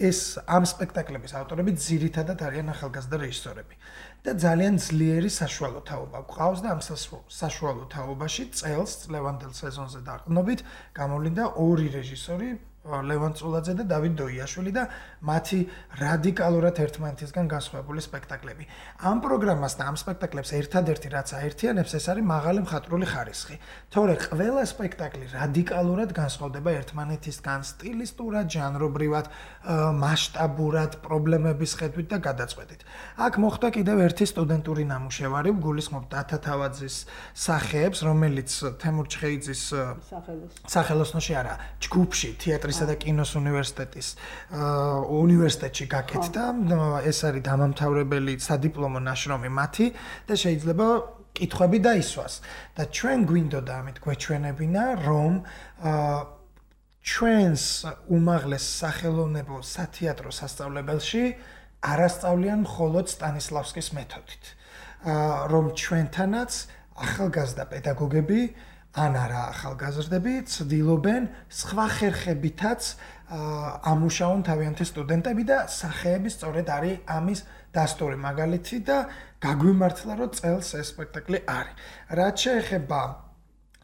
ეს ამ სპექტაკლების ავტორები ძირითადად არიან ახალგაზრდა რეჟისორები. და ძალიან ძლიერი საშუალო თაობა გვყავს და ამ საშუალო თაობაში წელს ლევანდელ სეზონზე დაყრდნობით გამოვლინდა ორი რეჟისორი, ლევან წულაძე და დავით დოიაშვილი და მათი რადიკალურად ერთმანეთისგან განსხვავებული სპექტაკლები. ამ პროგრამას და ამ სპექტაკლებს ერთადერთი რაც აერთიანებს, ეს არის მაღალი მხატვრული ხარისხი. თორე ყველა სპექტაკლი რადიკალურად განსხვავდება ერთმანეთისგან სტილისტურად, ჟანრობრივად, მასშტაბურად, პრობლემების ხედვით და გადაწყვეტით. აქ მოხდა კიდევ ერთი სტუდენტური ნამუშევარი, გულისხმობ დათა თავაძის სახეებს, რომელიც თემურ ჩხეიძის სახელოსნოში არა, ჯგუფში თეატრისა და კინოს უნივერსიტეტის უნივერსიტეტში გაკეთდა. ეს არის დამამთავრებელი სადიპლომო ნაშრომი მათი და შეიძლება კითხვები დაისვას. და ჩვენ გვინდოდა ამით გვეჩვენებინა, რომ ჩვენს უმაღლეს სახელოვნებო სათეატრო სასწავლებელში არასწავლიან მხოლოდ სტანისლავსკის მეთოდით. რომ ჩვენთანაც ახალგაზრდა პედაგოგები ან არა ახალგაზრდები ცდილობენ სხვა ხერხებითაც ამუშავონ თავიანთი სტუდენტები და სახეები სწორედ არის ამის დასტური მაგალითი და გაგვიმართლა, რომ წელს ეს სპექტაკლი არის. რაც შეეხება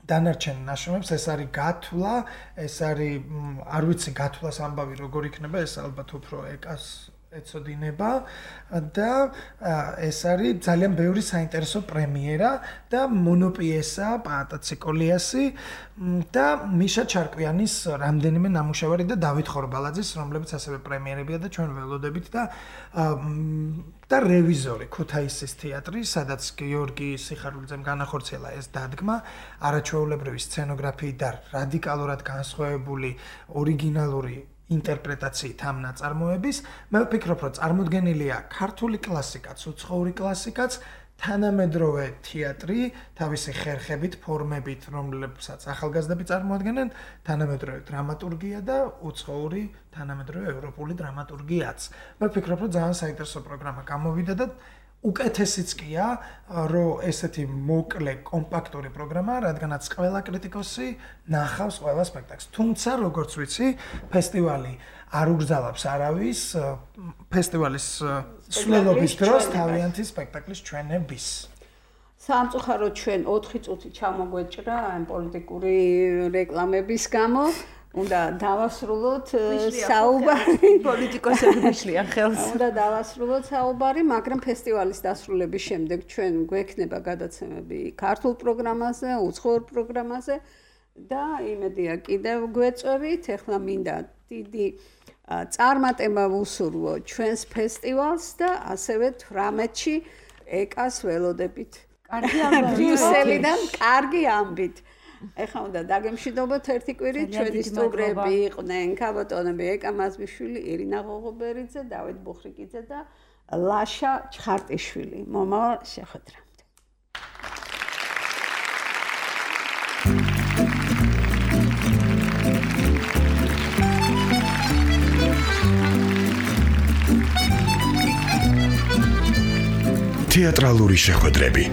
დანარჩენ ნაშრომებს ეს არის გათვლა, ეს არის არ ვიცი გათვლას ამბავი როგორ იქნება, ეს ალბათ უფრო ეკას ეცოდინება და ეს არის ძალიან ბევრი საინტერესო პრემიერა და მონოპიესა პაატა კოლიასი და მიშა ჩარკვიანის რამდენიმე ნამუშევარი და დავით ხორბალაძის, რომლებიც ასევე პრემიერებია და ჩვენ ველოდებით და და რევიზორი ქუთაისის თეატრი, სადაც გიორგი სიხარულიძემ განახორციელა ეს დადგმა, არაჩვეულებრივი სცენოგრაფიით და რადიკალურად განსხვავებული ორიგინალური ინტერპრეტაციით ამ ნაწარმოების. მე ვფიქრობ, რომ წარმოდგენილია ქართული კლასიკაც, უცხოური კლასიკაც, თანამედროვე თეატრი, თავისი ხერხებით, ფორმებით, რომლებსაც ახალგაზრდები წარმოადგენენ, თანამედროვე დრამატურგია და უცხოური თანამედროვე ევროპული დრამატურგიაც. მე ვფიქრობ, რომ ძალიან საინტერესო პროგრამა გამოვიდა და უკეთესიც კია, რომ ესეთი მოკლე, კომპაქტური პროგრამა, რადგანაც ყველა კრიტიკოსი ნახავს ყველა სპექტაკლს. თუმცა, როგორც ვიცი, ფესტივალი არ უგრძალავს არავის ფესტივალის სვლელობის დროს თავიანთი სპექტაკლის ჩვენების. სამწუხაროდ ჩვენ ოთხი წუთი ჩამოგვეჭრა ამ პოლიტიკური რეკლამების გამო. უნდა დავასრულოთ საუბარი პოლიტიკოსები მიშლიან ხელს. უნდა დავასრულოთ საუბარი, მაგრამ ფესტივალის დასრულების შემდეგ ჩვენ გვექნება გადაცემები ქართულ პროგრამაზე, უცხოურ პროგრამაზე და იმედია კიდევ გვეწევით. ეხლა მინდა დიდი წარმატება ვუსურვო ჩვენს ფესტივალს და ასევე თვრამეტში ეკას ველოდებით. კარგი ამბავი. ბრიუსელიდან კარგი ამბით. ეხლა უნდა დაგემშვიდობოთ ერთი კვირით, ჩვენი სტუმრები იყვნენ ქაბატონები ეკა მაზმიშვილი, ირინა ღოღობერიძე, დავით ბუხრიკიძე და ლაშა ჩხარტიშვილი. მომავალ შეხვედრამდე. თეატრალური შეხვედრები